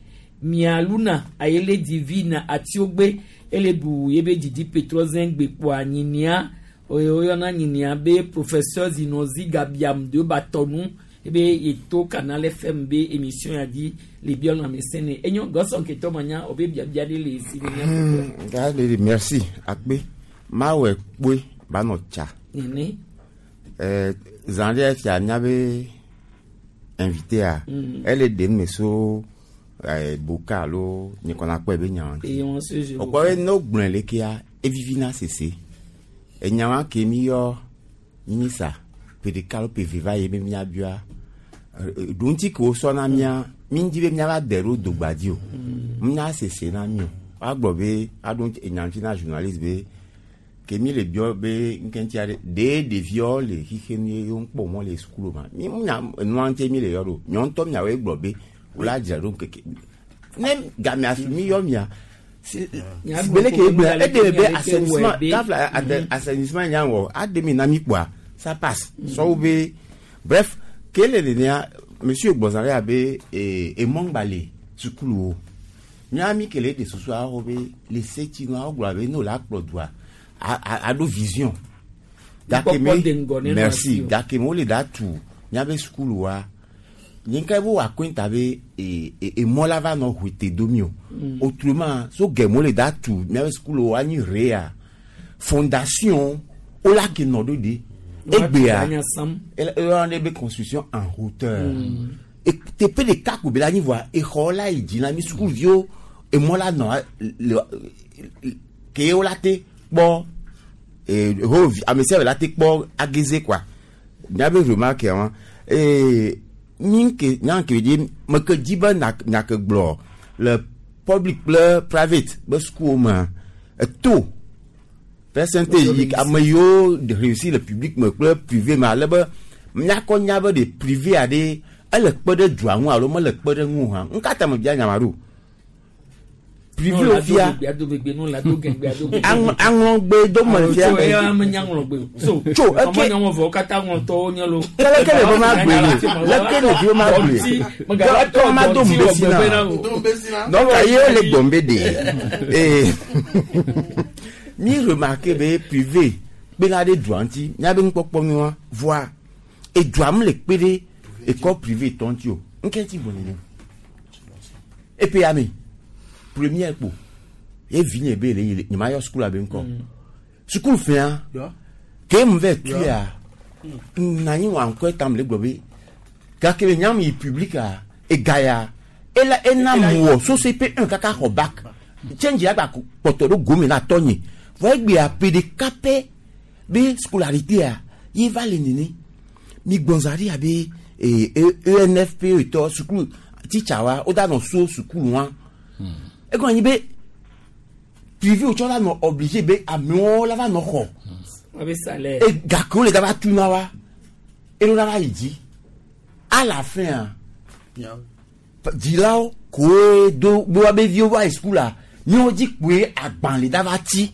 mialuna ayele divina atiogbe ele bu yebe didi petrɔzɛn gbekpoa nyinia woyɔna nyinia be professeur zinozi gabiam de batɔnu ebe yeto canal fm be émission ya di le biɔ lãmesẽ ne enyo gɔsɔn ketɔ ma nya o be biabia ɖe le si ne mia Ga le merci akpe mawɔ kpoe ba nɔ tsa. nene Zã ɖe fia míabe invité a ele ɖem me so boka alo nyekɔna kpɔe be nyawo ŋuti. eye wɔn so je Wòkpɔ be ne wogblɔe lekea evivina sese. Enyawa ke mi yɔ minisa ƒe ɖeka alo ƒe eve va yi be míabia ɖoŋuti ke wosɔ na mía mi ŋdi be míava de ɖo dogba dzi o. Mía sese na mi o. Woagblɔ be aɖo ŋuti enya ŋuti na journaliste be ke mi le biɔ be ŋkeŋuti aɖe ɖe ɖeviawo le xixe nu ye wo ŋkpɔ mɔ le sukulu ma. Mi nya enua ŋuti mi le yɔ ɖo. Nyɔ ŋutɔ miawoe gblɔ be wola dzra ɖo ŋkeke. Ne gamea su mi yɔ mia si bele ke gblɔ eɖe be assainissement tafla assainissement nya wɔ aɖe mi na mi kpoa ça passe sɔwo be bref ke le nenea monsieur gbɔzã ɖe abe emɔŋgba le sukuluwo mía mi ke le ɖe susu awɔ be le setsi nu awɔ gblɔ abe ne wòle akplɔ dua aɖo vision gake Nukpɔkpɔ de ŋgɔ me ne nɔ merci asi o. gake me wole da tu míabe sukuluwa nye ka be wòakɔnta be emɔ la va nɔ ʋuite domi o autrement so gɛmɛ wole da tu míabe sukuluwo anyi rea fondation wola ke nɔ ɖo de egbea Anya sam. eyɔna ɖe be construction en hauteur teƒe ɖeka ko be la anyi voa exɔ la yi dzi na mi sukuviwo emɔ la nɔ le ke wola te kpɔ ho ame sia ame la te kpɔ ageze quoi miabe remarque wa mi ke nya ke dzi meke dzi be na nya ke gblɔ le public kple private be sukuwo mea eto percentage yi ame yiwo réussi le public me kple privé me ale be míakɔ nya be ɖe privé aɖe ele kpe ɖe dua ŋu alo mele kpe ɖe ŋu o hã ŋkata me bia nya ma ɖo privé wo fia aŋlɔgbe do me fia tso eke leke le be ma gbe le leke le be ma gbe tɔ ma do mbesi na donc ye le gbɔn be de ee mi remarque be privé kpena ɖe dua ŋuti míabe nukpɔkpɔ nua voa edua mu le kpe ɖe école privé tɔ ŋuti o ŋkɛ ti gbɔ nene epe ame première kpo ye vi nye be le yi le nye ma yɔ sukulu abe ŋkɔ sukulu fia ke mu vɛ tuya nanyi wa ŋkɔ tam le gblɔ be gake le nyamu yi public a ega ya ela ena mu wɔ so CP1 kaka xɔ bac change ya gba kpɔtɔ ɖo gome na tɔ nye vɔ egbea ƒe ɖeka pɛ be scolarité a ye va le nene mi gbɔnza ɖi abe ENFP tɔ sukulu teacher wa wo da nɔ so sukulu wa egɔn anyi be privé wotsɔ la nɔ obligé be amewo la va nɔ xɔ e gake wo le da va tu na wa elo la va yi dzi à la fin dzilawo koe do be woabe viwo va yi sukulu míawo dzi kpoe agbalẽ da va tsi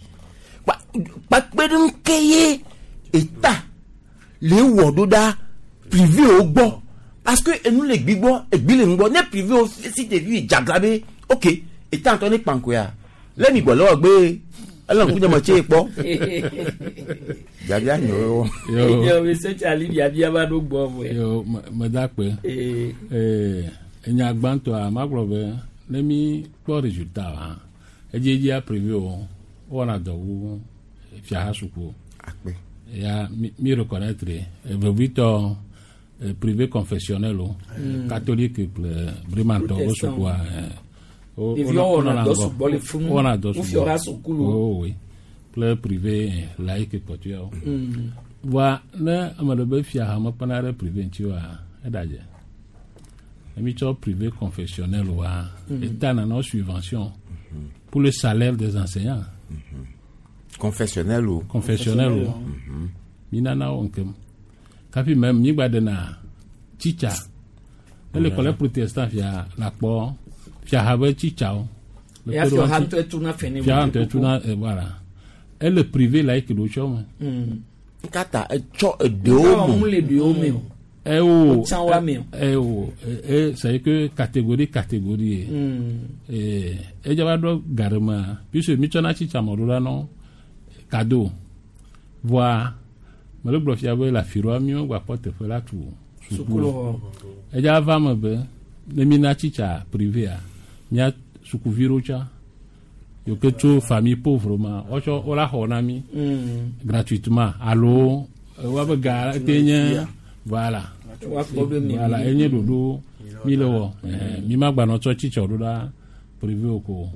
kpakpe ɖe ŋke ye eta le wɔ ɖo ɖa privé wo gbɔ parce que enu le gbi gbɔ egbi le ŋgbɔ ne privé wo si ɖevi dzagla be ok eta ŋutɔ ne kpankoya le mi gbɔ le wɔ gbe Ele ŋku nye me tse kpɔ. Biabia nyo. Yo, monsieur Charlie, biabia va ɖo gbɔ vɔe. Yo, meda kpe. Enya gbãtɔa, magblɔ be ne mi kpɔ résultat wa, edziedzia privé o, wowɔna dɔ wu fiaha suku. Akpe. Ya mi reconnaître vevitɔ privé confessionnel o, catholique kple brimantɔ wo sukua. Ɖeviwo wɔna dɔ sugbɔ le funu. Wɔna dɔ Wo sugbɔ. fiɔha sukulu. Oh, oui. Kple privé laïque kpɔtɔewo. Voa ne ame ɖe be fiaha mekpɔna ɖe privé ŋuti oa, eɖadze. Ne mi tsɔ privé confessionnel oa, État nana subvention pour le salaire des enseignants. Confessionnel o. Confessionnel o. Mi nana wo ŋkem. Kafi même mi gba ɖena tsitsa. Ne le collège protestant fia la kpɔ fiaha be tsitsawo. Le Ya kpe ɖe fiɔha wo ŋuti. ŋutɔe tuna fɛ ne Fiaha ŋutɔe tuna voilà. Ele privé laïque ɖo tsɔ me. Kata etsɔ eɖewo me. Mu le ɖewo me o. Eh oh, Wotsã woa me o. eh oh, eh, c'est que catégorie catégorie ye. Edze va ɖo gaɖemea, puisque mi tsɔna tsitsa mɔ ɖo la nɔ cadeau. Voa mele gblɔ fia be le afi ɖoa mi gba kpɔ teƒe la tu Sukulu xɔ. Edze va me be ne mi na tsitsa privéa, mía sukuvi ɖo tsã yiwo ke tso famille pauvre ma, wotsɔ wola xɔ na mi gratuitement alo woabe ga te nye voilà. Woakpɔ be mi- Voilà, enye ɖoɖo mi le wɔ. Mi ma gbanɔ tsɔ tsitsa ɖo ɖa privé o ko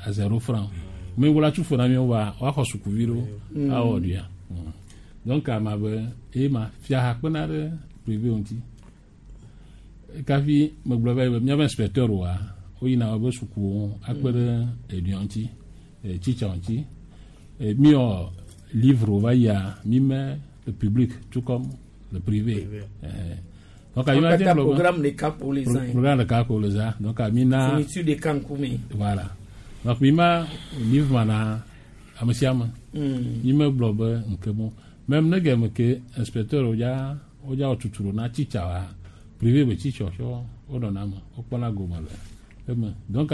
à zéro franc. Mi wla tsu fo na mi wa woaxɔ sukuvi ɖo awɔ ɖuia. Donc ama be eye ma fiaha kpena ɖe privé ŋuti. Kafi megblɔ va yi be míabe inspecteur wa woyina wobe sukuwo akpe ɖe eɖua ŋuti, tsitsa ŋuti. Mi wɔ livre va yia mi me le public tout comme le privé. Donc, Wo mi ma te katã gblɔ be- programme ɖeka ko le zã ye. Programme ɖeka ko le zã. Donc mi na Fourniture ɖeka ŋkume. voilà. Donc mi ma livre ma na ame sia ame. Mi me gblɔ be nke mo. Même ne game ke inspecteur wodza wodza wɔ tutu ɖo na tsitsa wa privé be tsitsa tsɔ wonɔna me wokpɔna gome le eme. Donc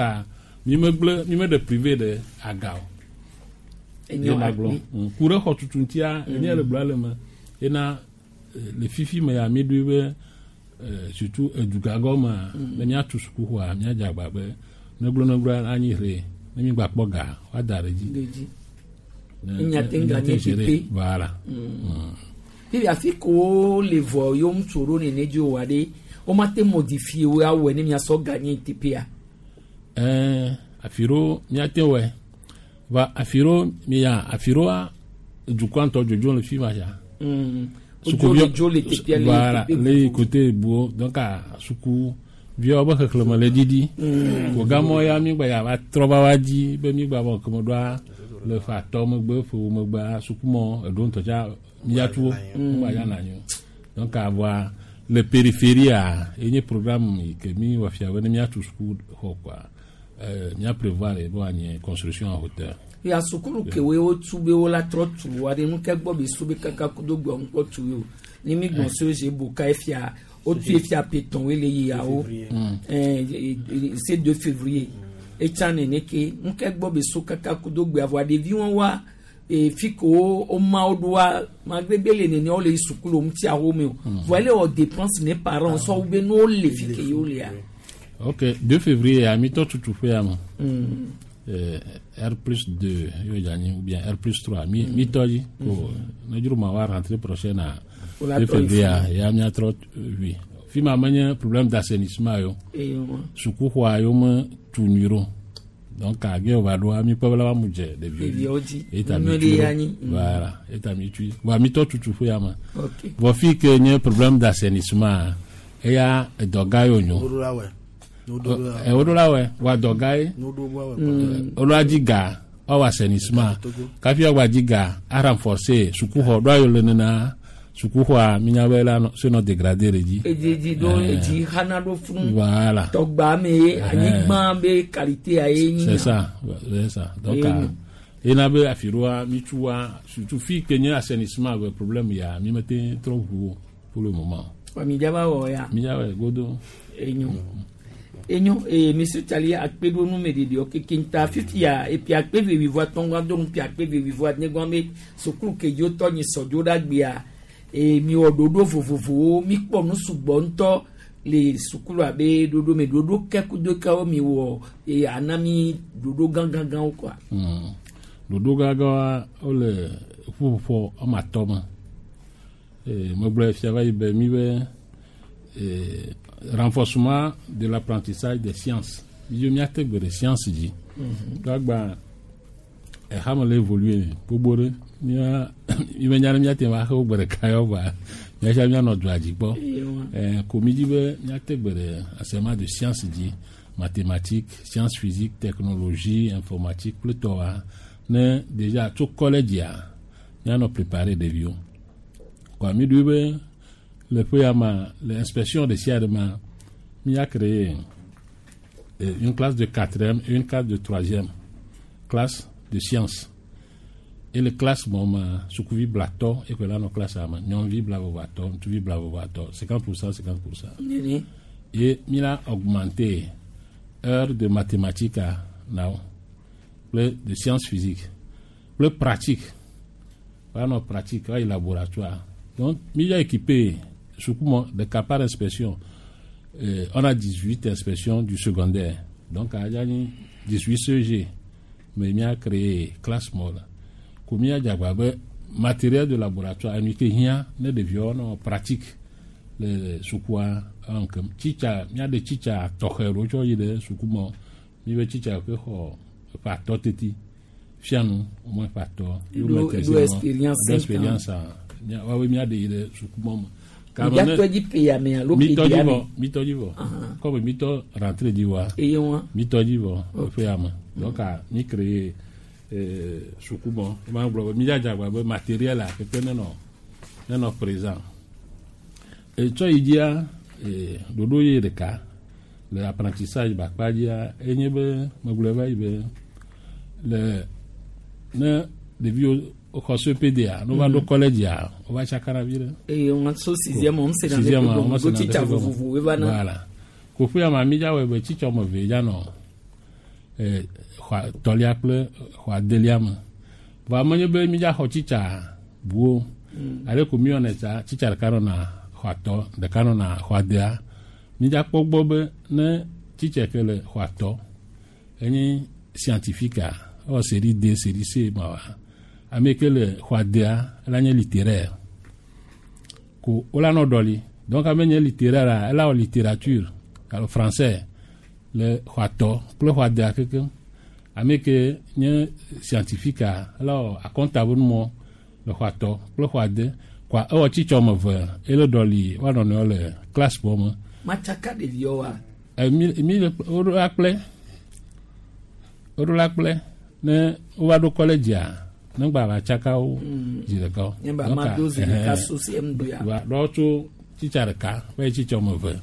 mi me gblẽ mi me ɖe privé ɖe aga o. Enyo Ye ma gblɔ. akpe. Ku ɖe xɔtutu ŋutia enye le gblɔ le me yena le fifi me ya mi ɖoe be surtout edugagɔmea ne míatu sukuxɔa míadze agba be negblɔ anyi ʋe ne mi gba kpɔ ga woada ɖe dzi. Ɖe dzi. Ne- Enya te ŋga ne nye gérer. teƒe. Voilà. Bibi afi ko le vɔ yewo ŋutsu ɖo nene dzi o wa ɖe womate modifie wo awɔe ne miasɔ ganye teƒea. Afi ɖewo míate wɔe va afi ɖewo miya afi ɖewoa dukɔa ŋutɔ dzodzo le fi ma sia. Wodzo le dzo le teƒea le Voilà, teƒe le côté buwo donc sukuviawo be xexlẽme le ɖiɖi. Ko gamɔ ya mi gba ya va trɔ va wa dzi be mi gba bɔ keme ɖoa le ƒe atɔ megbe ƒewo megbea sukumɔ eɖewo ŋutɔ tsa miatu wo ŋgba ya na anyi o. Donc voa le périphérie enye programme yi ke mi wɔ fia be ne miatu sukuxɔ kɔa mia prévoir be woanye construction en hauteur. Ya sukulu kewoe wotu be wola trɔ tu wa ɖe nu ke gbɔ be su be kaka kudo gbɔ ŋkpɔ tu ye o ne mi gbɔn so ze boka efia wotu efia petɔn le yiawo c'est 2 février etsa nene ke nu ke gbɔ be so kaka kudo gbe avɔa ɖevi wɔn wa fi ko wo ma wo ɖoa malgré be le nene wo le yi sukulu ŋuti awo me o vɔ ele wɔ dépense ne parents sɔ wo be ne wo le fi ke yewo lea. Ok, 2 février, à mi tutu ƒe ya me. R plus 2, yo dza ou bien R plus 3, mi tɔ dzi. Ko ne dzro ma wa rentrée prochaine à Wola 2 trɔ yi février, fi. ya miatrɔ oui. Fi ma menye problème d'assainissement yo. Eyo. Sukuxɔa yo me tu nyui ɖo. Donc age wòva ɖoa mi kpɔ be la va mu dze ɖeviwo Ɖeviwo dzi. Eta Nyuie mi ɖe tui ya ɖo. nyi. Voilà, eta mi tui. Voa mi tɔ tutu ƒe ya me. Ok. Vɔ fi ke nye problème d'assainissement eya edɔ gã ye wònyo. Woɖo la wɔe. Woɖo la Woɖo la wɔe, wa dɔ gã ye. Woɖo la wɔe. Woɖo adzi ga woawɔ assainissement kafi woagba dzi ga a renforcer sukuxɔ ɖoa yiwo le nena sukuxɔa minya be la nɔ se nɔ dégradé ɖe dzi. Edidi ɖo edzi xana ɖo funu. Voilà. Tɔgba me ye anyigba be qualité a ye nyi. C'est ça, c'est ça. Donc Ye nyo. ena be afi ɖoa mi tua surtout fi ke nye assainissement be problème ya mi mete trɔ ʋu o pour le moment. Wa mi dza va wɔ ya. Mi dza wɔ godo. Enyo. Enyo ee monsieur Tali akpe ɖo numeɖeɖewo kekeŋ ta fifia epi akpe ve wuieve atɔ̃ do nu pi akpe ve wuieve adegã be sukulu ke dzi wotɔ nyi sɔdzo ɖe agbea ee miwɔ ɖoɖo vovovowo mikpɔ nu sugbɔ ŋutɔ le sukulu abe ɖoɖo me ɖoɖo ke kudo kewo miwɔ ee ana mi ɖoɖo gãgãgãwo kɔa. Ɖoɖo gãgãwoa wole ƒuƒoƒo woame atɔ̃ me. Megblɔe fia va yi be mi be renforcement de l'apprentissage des sciences. Mi dzo míate gbe ɖe science dzi. Ɖo agba exame le évoluer gbogbo ɖe mía mi menya ne míate ŋu axe wo gbe ɖeka yɔ vɔa míatsa míanɔ dua dzi kpɔ. Ko mi dzi be míate gbe ɖe enseignement de science dzi, mathématiques, sciences physiques, technologie, informatique kple tɔwoa ne déjà tso collège míanɔ préparer ɖeviwo. Kɔa mi ɖoe be le ƒe ya ma le inspection ɖe sia ɖe ma mía créer une classe de quatrième et une classe de troisième classe de sciences. Et le classe mɔ ma sukuvi blatɔ eke la nɔ classe me nyɔnuvi blaveve atɔ ŋutsuvi blaveve atɔ 50%, 50%. Nene. Et mi la augmenter heure de mathématiques na wo kple de sciences physiques kple pratique woanɔ pratique woayi laboratoire. Donc mi ya équipé suku ɖeka par inspection. On a 18 inspections du secondaire. Donc a nyi 18 CEG. Mais mi a créé classe mɔ la. Ko mi a dzagba be matériel de laboratoire enu ke hiã ne ɖeviwo nɔ pratique le sukua ŋkem. Tsitsa míaɖe tsitsa tɔxɛ ɖewo tsɔ yi ɖe suku mɔ. Mi be tsitsa ke xɔ ƒe atɔ teti fianu au moins ƒe atɔ. Ɖo expérience Ɖo expérience a woawoe míaɖe yi ɖe suku mɔ me. Míatɔ dzi pe ame alo pe Mitɔ dzi dzi ame. vɔ, mitɔ dzi vɔ. Comme mitɔ rentrée dzi vɔa. Eye wa. Mitɔ dzi vɔ ƒe ya me. Donc mi créé suku mɔ. Ma gblɔ be mi dza dzagba be matériel a keke nenɔ présent. Etsɔ yi dzia ɖoɖo ye ɖeka le apprentissage be akpa dzia enye be megblɔe va yi be le ne ɖeviwo xɔ CPD-a ne wova ɖo collège a wova tsakana vi ɖe. Eye wọn so sixième on se na Sixième, ɖe on se gɔme na tsitsa ɖe gɔme. vovovowo va na. Voilà. Koƒe ya ma mi dza wɔe be tsitsa wɔme eve dza nɔ xɔ tɔlia kple xɔ adelia me. Vɔa menye be mi dza xɔ tsitsa buwo. Ale ko mi wɔnɛ tsa tsitsa ɖeka nɔna xɔ atɔ ɖeka nɔna xɔ adea. Mi dza kpɔ gbɔ be ne tsitsa ke le xɔ atɔ enye scientifique a ewɔ série D, série C ma wa. Ame ke le xɔ adea ela nye littéraire. Ko wola nɔ ɖɔli. Donc ame nye littéraire a ela wɔ littérature alo français le xɔ atɔ kple xɔ adea kekeŋ. Ame ke nye scientifique a ela wɔ akɔnta be numɔ le xɔ atɔ kple xɔ ade. Kɔa ewɔ tsitsa wɔme eve ele ɖɔli woanɔ nɔewo le classe bɔ me. Matsaka ɖeviwo wa. Mi le woɖo la kple woɖo la kple ne wova ɖo collège a ne gba va tsaka wo zi ɖeka o. Nye ba Donc, ma do zi ɖeka so CM2 ya. Va ɖewo tso tsitsa ɖeka va yi tsitsa wɔme eve.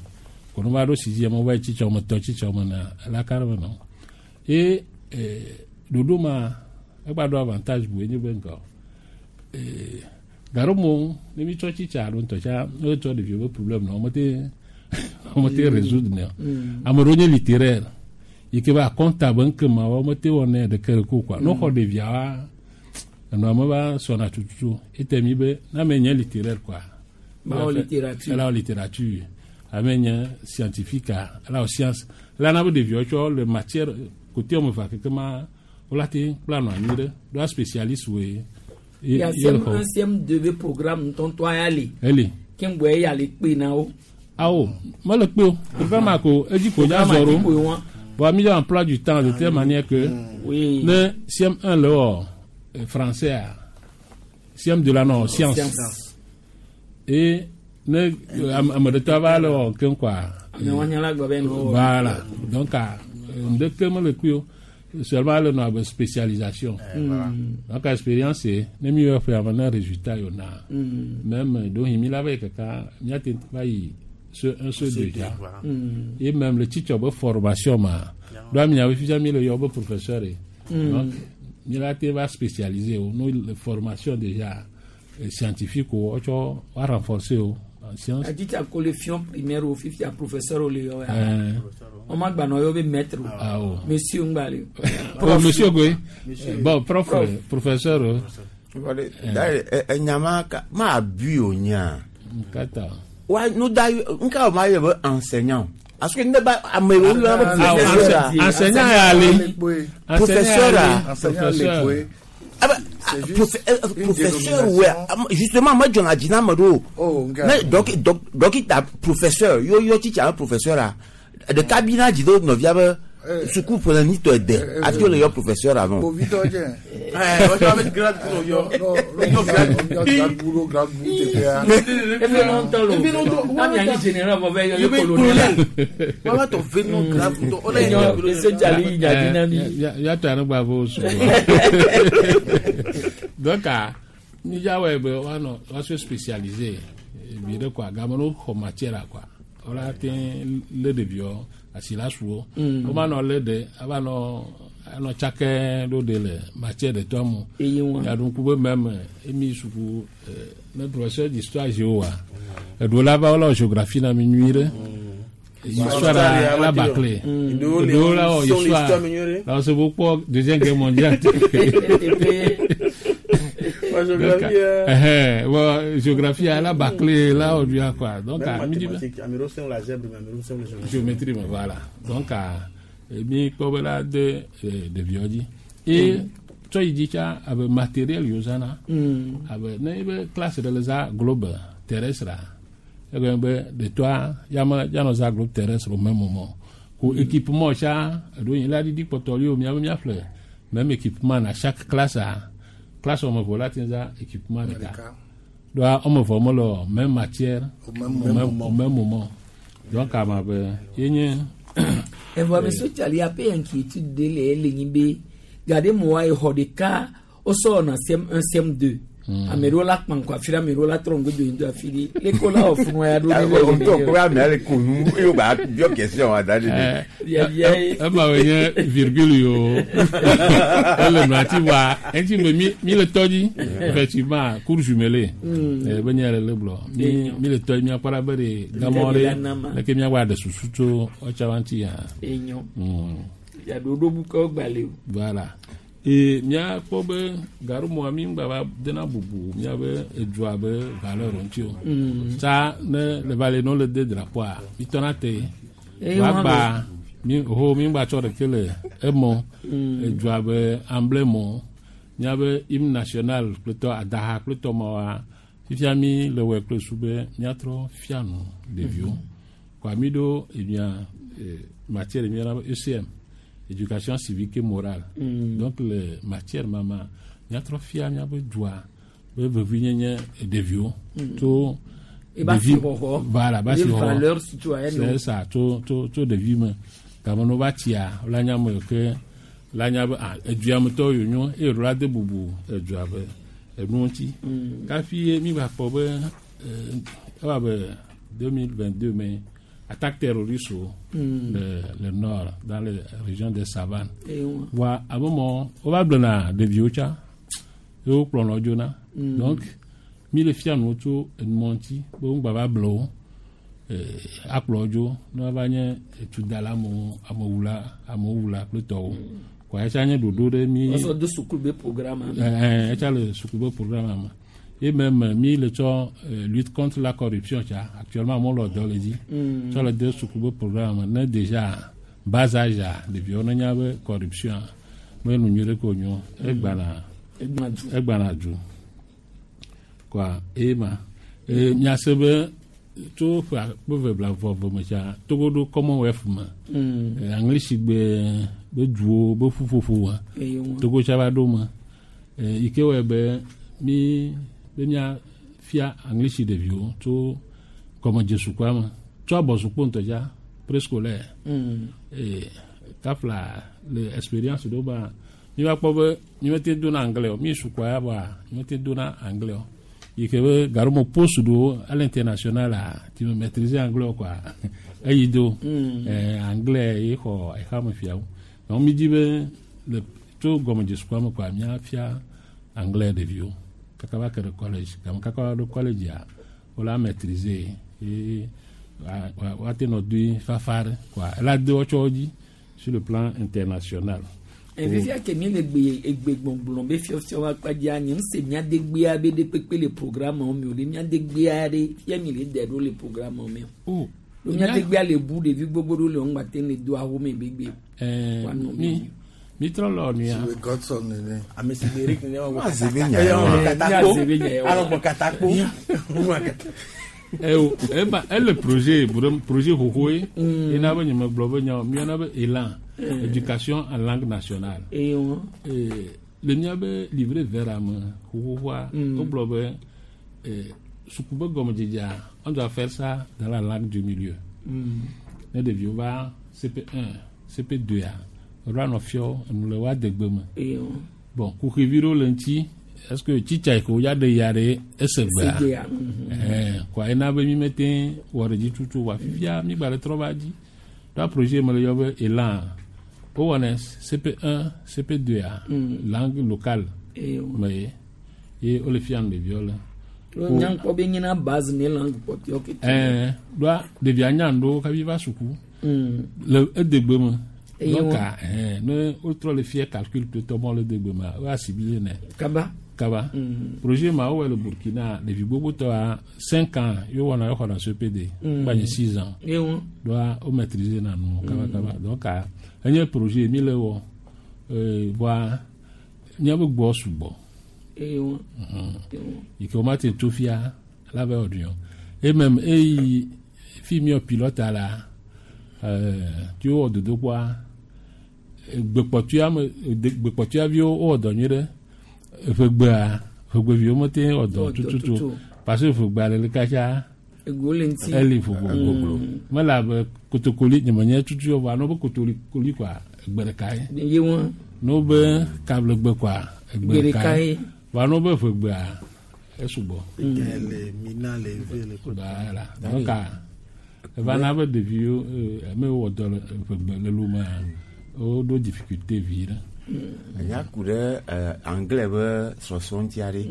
Ko ne va ɖo sixième wova yi tsitsa wɔme etɔ̃ tsitsa wɔme ene ela ka ɖe me nɔ. Ye ɖoɖo ma egba ɖo avantage bu enye be ŋgɔ. Gaɖomo ne mi tsɔ tsitsa alo ŋutɔ tsa ne wotsɔ ɖeviwo be problème na womete résoudre ne o. Ame ɖewo nye littéraire yi ke be akɔnta be ŋkema wa womete wɔnɛ ɖeke ɖeke o quoi. Ne woxɔ ɖeviawoa enɔa me va sɔna tututu. Ete mi be ne ame nye littéraire quoi. Ba wɔ littérature. Ela wɔ littérature. Ame nye scientifique a ela wɔ science. Ela na be ɖeviwo tsɔ le matière côté wɔme evea keke ma wola te kpla nɔ anyi ɖe. Ɖoa spécialiste woe. Ya Ye le CM1 xɔ. CM2 be programme ŋutɔŋutɔ ya le. Eli. Ke ŋgbɔ eya le kpe na wo. Awo mele kpe o. Programme ko edzi ko dza Programme zɔ dzi koe ɖo. wa. Bon, mi emploi du temps de telle manière que ne CM1 le wɔ français a CM2 la nɔ science. Science. Et ne ame ɖetɔ va le wɔ keŋ quoi. Ame wa nya la gblɔ be nɔ wɔ. Voilà. Donc ŋɖeke mele kpe o. Seulement le nɔ abe spécialisation. Donc expérience ne mi wɔ ƒe ame ne résultat yio na. Même donc mi la va yi kaka miate va yi ce un ce deux déjà. Voilà. Et même le teacher be formation ma. Donc mi nya fifia mi le yɔ be professeur ye. Donc mi la te va spécialiser o no le formation déjà scientifique o wotsɔ wa renforcer o. en sciences. Atitsa ko le fion primaire o fifia professeur o le yɔ ya. Eh. Wọ́n má gbanɔ yɔ be maître o. Ah, oh. Monsieur ŋgba le. Oh, monsieur Goué. Bon, prof, professeur. Enyama ka ma abui o nya. Kata. Wa nu da nka o ma yɛ be enseignant. Parce que ne ba ame wo yɔ be Ah, professeur a. enseignant ya le. Professeur a. Professeur. Ah ben, professeur ouais justement moi jɔn a dzina me ɖo. Ne dɔki dɔkita professeur yo yɔ titsa be professeur a ɖeka bi na dzi ɖo nɔvia be suku ƒle nitɔ de hafi wole yɔ professeur a nɔ. Kpovitɔ dze. Efe nɔ ŋutɔ lo. Ami anyi général vɔ bɛ yɔ ye colonel. Enyɔ ese dzali yi dzadi na mi. Yàtọ̀ ànúgbà bó sùn. Donc, níjàwọ̀ ẹ̀bẹ̀ wà nọ wọ́n sọ spécialisé ebi ɖe quoi game no xɔ matière quoi wọ́n te lé ɖeviwo asi la su wo. Wọ́n ma nɔ lé ɖe ava nɔ anɔ tsakɛ ɖo ɖe le matière ɖe tɔ mu. Eye wa. Yaɖuŋku be mɛmɛ emi suku ne professeur d'histoire géo wa eɖewo la va wole wɔ géographie na mi nyui ɖe. Histoire la bâclé. Eɖewo la wɔ histoire la wɔ se bo kpɔ deuxième guerre mondiale. Bon, géographie la bâclé là on lui a quoi. Donc à midi géométrie mais voilà. Donc à mi kpɔ la de ɖeviwo dzi. Et tsɔ yi dzi tsa abe matériel yiwo zãna. Abe ne ebe classe ɖe le zã globe terrestre egɔme be ɖetɔa yame yanɔ zã globe terrestre au même moment. Ko équipement tsa eɖewo nyi la ɖiɖi kpɔtɔ li o miabe miaƒle même équipement na chaque classe a classe wɔme eve la te zã équipement ɖeka. Donc wɔme eve mele o même matière au même moment. Donc ama be ye nye. Evɔ ame so tsali ape inquiétude de le ele nyi be gade mo wa exɔ ɖeka wosɔ wɔna CM1 CM2. Ame ɖewo la kpa ŋkɔ afi ɖe ame ɖewo la trɔ ŋgɔ do yi do afi ɖe leko la wɔ funu ya ɖo ne O ŋutɔ ko ame le ko nu eye wògba biɔ question wa da ɖe ɖe. Ema wo nye virgule yi o ele nua ti wa eŋuti me mi le tɔ dzi effectivement cour jumelée be nye le le gblɔ mi le tɔ dzi miakpɔ ɖa be ɖe gamɔ ɖe leke miagba ɖe susu tso ɔtsa wa ŋuti ya. Enyo. Yaɖoɖo bu ke gbalẽ o. Voilà. E miakpɔ be gaɖumɔa mi ŋgba va dena bubu miabe edua be valeur ŋuti o. Tsa ne le va le ne wole de drapeau-a mi tɔna te. Woagba mi ho mi ŋgba tsɔ ɖeke le emɔ edua be emblème miabe hymne national kple tɔ adaha kple tɔ mawoa fifia mi le wɔe kple su be miatrɔ fia nu ɖeviwo. Kɔa mi ɖo emia matière mi yɔna be ECM. Éducation civique et morale. Donc le matière mama miatrɔ fia miabe dua be vevi nyenye ɖeviwo tso ɖevi voilà ba si xɔxɔ valeur citoyenne c'est ça tso tso tso ɖevi me game ne wova tsia la nya me ke la nya be ah edua me tɔwo yonyo eye ɖo la de bubu edua be enu ŋuti kafi ye mi va kpɔ be ewa be 2022 me attaque terroriste le nord dans les régions des savanes. Wa ame mɔ wova gblɔna ɖeviwo tsa ye wokplɔnɔ dzona. Donc mi le fia nu tso enumɔ ŋuti be ŋgba va ble wo akplɔ dzo ne wova nye etudala amewo amewula amewula kple tɔwo. Kɔ etsa nye ɖoɖo ɖe mi. Wɔsɔ do suku be programme. Ɛɛ etsa le suku be programme me. Et même mi le tsɔ lutte contre la corruption tsa actuellement amewo le dɔ le dzi. Tsɔ le de suku be programme ne déjà bas âge a ɖeviwo ne nya be corruption me nu nyui ɖe ko nyo egbana egbana du. Kɔa eye ma miase be tso ƒe akpe eve blaeve me tsa Togo ɖo Commonwealth me. Aŋlisigbe be duwo be ƒuƒoƒo wa Togo tsa va ɖo me. Yi ke wɔe be mi be mia fia aŋlisi ɖeviwo tso gɔmedzesukua me tso abɔsukpo ŋutɔ dza préscolaire. Kafla le expérience ɖewo ba mi va kpɔ be mi mete dona anglais o mi sukua ya bɔa mi mete dona anglais o yi ke be gaɖome poste ɖewo à l'international a ti me maîtriser anglais o quoi eyi do anglais ye xɔ exame fiawo donc mi di be le tso gɔmedzesukua me quoi mia fia anglais ɖeviwo kaka va ke ɖe collège game kaka va ɖo collège ya wola maîtriser ye woate nɔ doe fafa ɖe quoi ela de wotsɔ dzi sur le plan international. Fifia ke mi le gbe egbe gbɔgblɔ be fiɔfiɔ wa kpa dzia nye ŋuse mía degbea be ɖe kpekpe le programme me o ɖe mía degbea ɖe fia mi le de ɖo le programme me o. O mía degbea le bu ɖevi gbogbo ɖewo le ŋgba te le do awo me be gbe. Mi mi trɔ lɔ nuya. Sibe Godson nene. Ame si gbe Eric nene wa Azebe gbɔ nya katakpo. wa. Alɔ katakpo. Azebe nya wa. Alɔ gbɔ katakpo. Eh, eba ele projet pour projet xoxo ye ena be nye me gblɔ be nya miana be élan éducation en langue nationale. Eye wɔn. Le miabe livret vert ame xoxoxoa wogblɔ be suku be gɔmedzedzea on doit faire ça dans la langue du milieu. Ne ɖeviwo va CP1 CP2 a woɖo anɔ fiɔ enu le woa degbe me. Eye wɔn. Bon kuxivi ɖewo le ŋuti est ce que tsitsa yi ke wodza ɖe ya ɖe ese gbea Esegbea, kɔa ena be mi mete wɔ ɖe dzi tutu wa fifia mi gba le trɔ va dzi ɖoa projet me le yɔ be élan wowɔnɛ CP1 CP2 a langue locale Eye wɔn. me ye ye wole fia nu ɖeviwo le. Nyankpɔ be nyina base ne langue kpɔtɔewo kete. Ɛɛ ɖoa ɖevia nya nu ɖewo kafi va suku le edegbe me. Eye Donc wɔn. ne wotrɔ le fia calcul kple tɔmɔ le edegbe mea wo assimilé nɛ. Kaba. Kaba. Projet ma wowɔ le Burkina ɖevi gbogbotɔa 5 ans ye wowɔna exɔna CPD. Gba nye 6 ans. Eye wɔn. Ɖoa wo maîtriser na nu kaba kaba. Donc enye projet mi le wɔ voa míabe gbɔ sugbɔ. Eye wɔn. Yi ke womate tso fia la be wɔ Et même eyi fi miɔ pilote la tí wowɔ dodokpɔa gbekpɔtuya me gbekpɔtuyaviwo wowɔ dɔ nyuie ɖe ʋegbea ʋegbeviwo mete wɔ dɔ Wɔ dɔ tututu tutu. parce que ʋegbea le katsa Ego le ŋuti. eli vovovo mele abe kotokoli nye menye tutu o vɔa ne wobe kotokoli kɔa egbe ɖeka ye Ye wɔn. ne wobe kablegbe kɔa egbe Gbe ɖeka ɖeka ye ye. vɔa ne wobe ʋegbea esugbɔ. Le mina le ve le ko. Voilà. Donc, eva na be ɖeviwo ame wɔ dɔ le ʋegbe le lomea woɖo difficulté vi ɖe. Enya ku ɖe anglais be sɔsrɔ̃ ŋuti aɖe.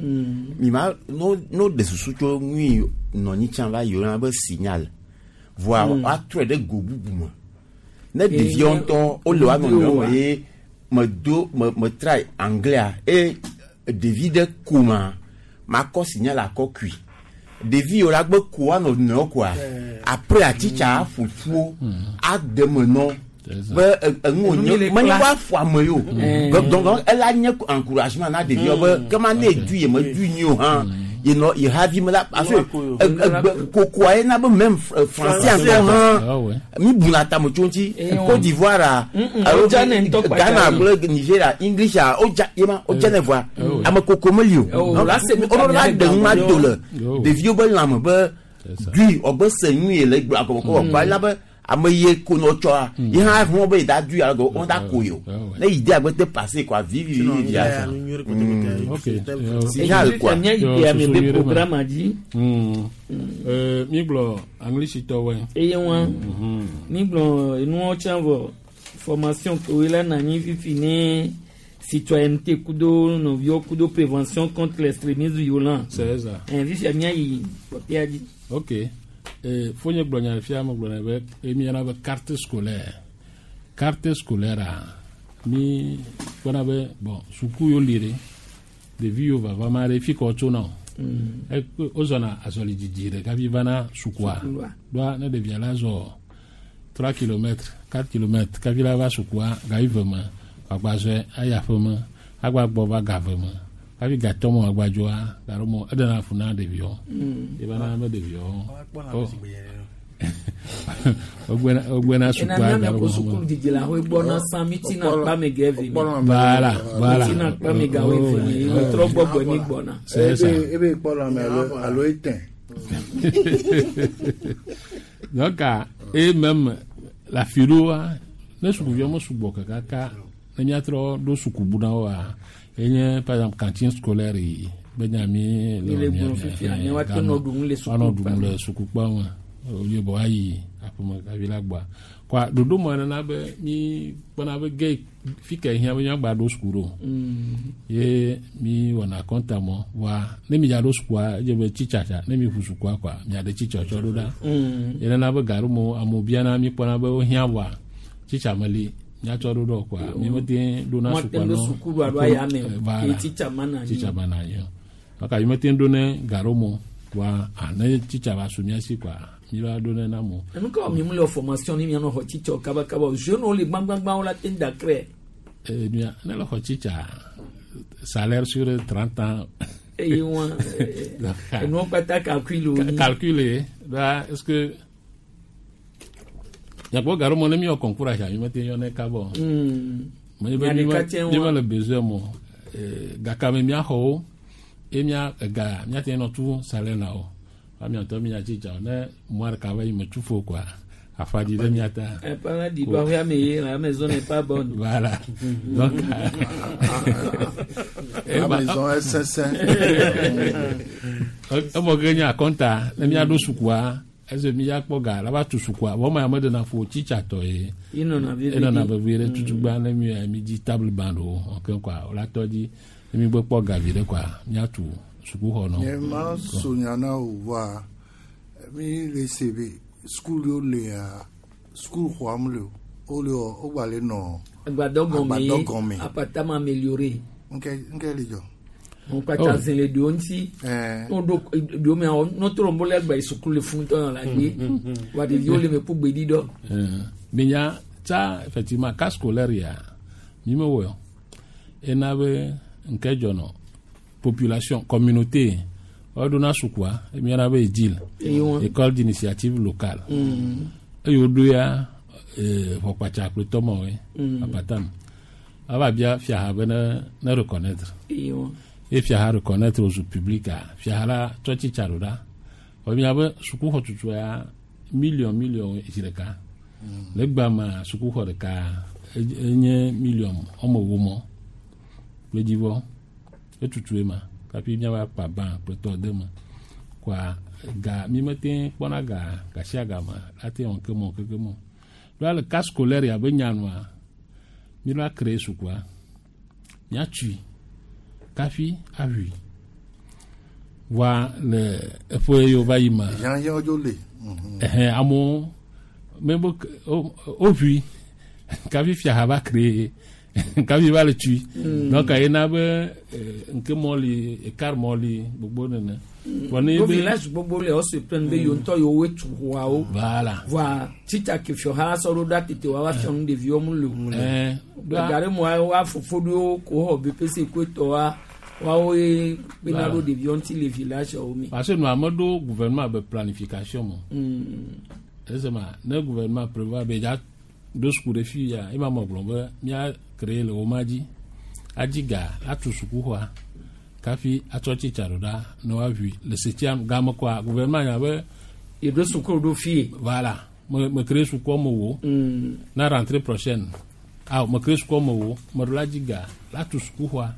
Mi ma no no ɖe susu tso nui nɔ anyi tsã va yi woyɔna be signal. Voa woatrɔe ɖe go bubu me. Ne ɖeviwo ŋutɔ wole woa nɔnɔewo me ye me do me me try anglais eye ɖevi ɖe koma makɔ signal akɔ kui. Ɖevi yiwo la gbe ko woa nɔnɔewo koa après atitsa aƒo ƒuwo ade me nɔ be enu Enu mi wònye le menye classe. woaƒo ame yi o. Donc ela nye encouragement na ɖeviwo be kema ne edu ye me du nyi o hã yenɔ ye havi me la parce que egbe kokoa ye na be même français ŋutɔ hã Ah ouais. mi buna tame tso ŋuti Côte d'Ivoire a alo wodza ne ŋutɔ kpatsa Ghana yi. kple Nigeria English a wodza ye ma wodza ne voa ame koko meli o Oh, la se nu woɖo la ka ɖe nu ma mía do le Oh. ɖeviwo be lãme be dui ɔgbe se nu ye le gblɔ agɔmɔ kɔ kɔ ela be ame ye ko nɔ tsɔa ye hã hɔn be da dui alo wɔn da ko ye o ne yi de agbe te passé quoi vivi vivi via Ok. signal quoi Mía yi de ame be programme dzi. Mi gblɔ anglisitɔwoe. Eye wɔn. Mi gblɔ enuwo tsã vɔ formation kewoe la na anyi fifi ne citoyenneté kudo nɔviwo kudo prévention contre l'extrémisme violent. C'est ça. Fifia mía yi kpɔtɔea dzi. Ok. Fonye gblɔ nya fia me gblɔ be emiana be carte scolaire. Carte scolaire a mi kpɔna be bon suku yiwo li ɖe ɖevi yiwo vava ma ɖe fi ka wotsona o. Wozɔna azɔli didi ɖe kafi vana sukua. Sukua. Ɖoa ne ɖevia la zɔ 3 km 4 km kafi la va sukua gayi ve me wòagba zɔe ayi aƒe me agba gbɔ va ga ve me kafi gatɔ me wòagba dzoa gaɖo me eɖena fu na ɖeviwo. Eva na be ɖeviwo wogbena Ena sukua mía gaɖo ko me. sukulu didi la hoe gbɔna sã mi tina kpa me ge eve me. Voilà, voilà. Mi tina kpa me ga hoe eve me. Oh, Mi trɔ gbɔgbɔ mi gbɔna. C'est ça. Ebe kpɔ lãme alo alo etɛn. Donc, et même la philo, ne sukuviwo me sugbɔ kakaka ne míatrɔ ɖo sukubu na woa enye par exemple cantine scolaire yi be nya mi Mi le gblɔ fifia, ne woate nɔ ɖu nu le woanɔ sukukpa ɖu nu me. le sukukpa me ye bɔ ayi aƒeme kafi la gbɔa Kɔa ɖoɖo mɔ nana be mi kpɔna be ge fi ke hiã be míagba ɖo suku ɖo. Ye mi wɔna kɔnta mɔ wa ne mi dza ɖo sukua edze be tsitsatsa ne mi ʋu sukua kɔa miaɖe tsitsɔtsɔ ɖo ɖa. Ye nana be gaɖo mo amewo biana mi kpɔna be wohiã vɔa tsitsa meli míatsɔ ɖo ɖɔ kɔa mi mete ɖona Mo sukua te ɖo nɔ. suku ɖo alo aya me o. Voilà. Ye tsitsa mana anyi. Tsitsa mana anyi o. Kaka mi mete ɖo ne gaɖo mo wa ah, ne tsitsa va su mía si kɔa mi va ɖo ne na mo. Enu ka mi mu le formation ni mianɔ xɔ tsitsɔ kabakaba o. Jeune wo le gbãgbãgbã wo la te da krɛ. Eh, mia ne le xɔ tsitsa salaire sur 30 ans. Eye wa enuwo kpata calcul wo nyi. Calculer là est-ce que yakpɔ gaɖo mɔ ne mi wɔ concours asia mi mete yɔ ne kabɔ. Menye be Mia mi ɖeka me tse mi wa. me le besoin mo gaka me miaxɔ wo ye mia ega miate nɔ tu salaire na wo wa miatɔ mi nya tsitsa o ne mois ɖeka va yi me tu fo koa afa dzi ɖe mia ta. Eh, pas la di ba ya me ye, la maison n'est pas bonne. Voilà. Donc, La maison est sincère. Emɔ ke nye akɔnta ne miaɖo sukua ese miakpɔ ga la va tu sukua vɔ ma ya meɖena fo tsitsatɔ ye. Enɔna vevie Enɔna ɖe. vevie ɖe tutugba ne mi mi dzi table ban ɖo ɔke kɔa wòla tɔ dzi ne mi gbe kpɔ ga vi ɖe kɔa miatu sukuxɔ nɔ. Nye ma so nya na o voa mi le se be sukulu yiwo lea sukulu xɔa mu le o wole wɔ wo gba le nɔ Agbadɔ gɔme ye, agbadɔ gɔme. apatama amélioré. Nke nke le dzɔ. Mo kpata Oh. zin le ɖewo ŋuti. No ɖo ɖewo mea no to ɖo le agba yi sukulu le funu tɔ la gbe. Wa ɖeviwo le me kpɔ gbeɖi dɔ. Minya tsa effectivement cas scolaire ya mi me wɔ ena be nke dzɔnɔ population communauté woɖona sukua emiana be edil Eye wɔn. école d'initiative locale eye woɖo ya ʋɔkpatsa kple tɔmɔwoe apatam ava bia fiaha be ne ne reconnaître Eye wɔn. ye fiaha reconnaître aux public a fiaha la tsɔ tsitsa ɖo ɖa wɔ mia be sukuxɔ tutu ya million million zi ɖeka le gba ma sukuxɔ ɖeka enye million wɔme ewo mɔ kple dzivɔ etutue ma kafi miava kpa ban kple tɔ de me kɔa ga mi mete kpɔna ga gasia ga me ate wɔn ke mɔ keke mɔ ɖoa le cas scolaire ya be nyanua mi la créer sukua miatui kafi ahui wa le eƒe yiwo va yi me Hiãhiã dzo le. ɛhɛn amewo mebe woʋui kafi fiaha va créer kafi va le tui donc yena be nke mɔ li écart mɔ li gbogbo nene Vɔ ne Wo be- village gbogbo le wo se plaindre be yewo ŋutɔ yewoe tu xɔawo. Voilà. Voa tsitsa ke fiɔha la sɔ ɖo ɖa tete wa va fiɔ nu ɖeviwo mu le o. Eh, ɖoa- Ga ɖe moa woa fofo ɖewo ko xɔ BPC ko etɔa woawoe kpena ɖo ɖeviwo ŋuti le village wo me. Parce que nous avons ɖo gouvernement be planification mɔ. Esema ne gouvernement prévoit be dza ɖo suku ɖe fi ya ema me gblɔ be mía créer le wo ma dzi adzi ga atu sukuxɔa kafi atsɔ tsitsa ɖo ɖa ne woaʋui le setia game kɔa gouvernement nya be. Yeɖo suku ɖo fie. Voilà me me créer sukua me wo. Na rentrée prochaine ah me créer sukua me wo me ɖo la dzi ga la tu sukuxɔa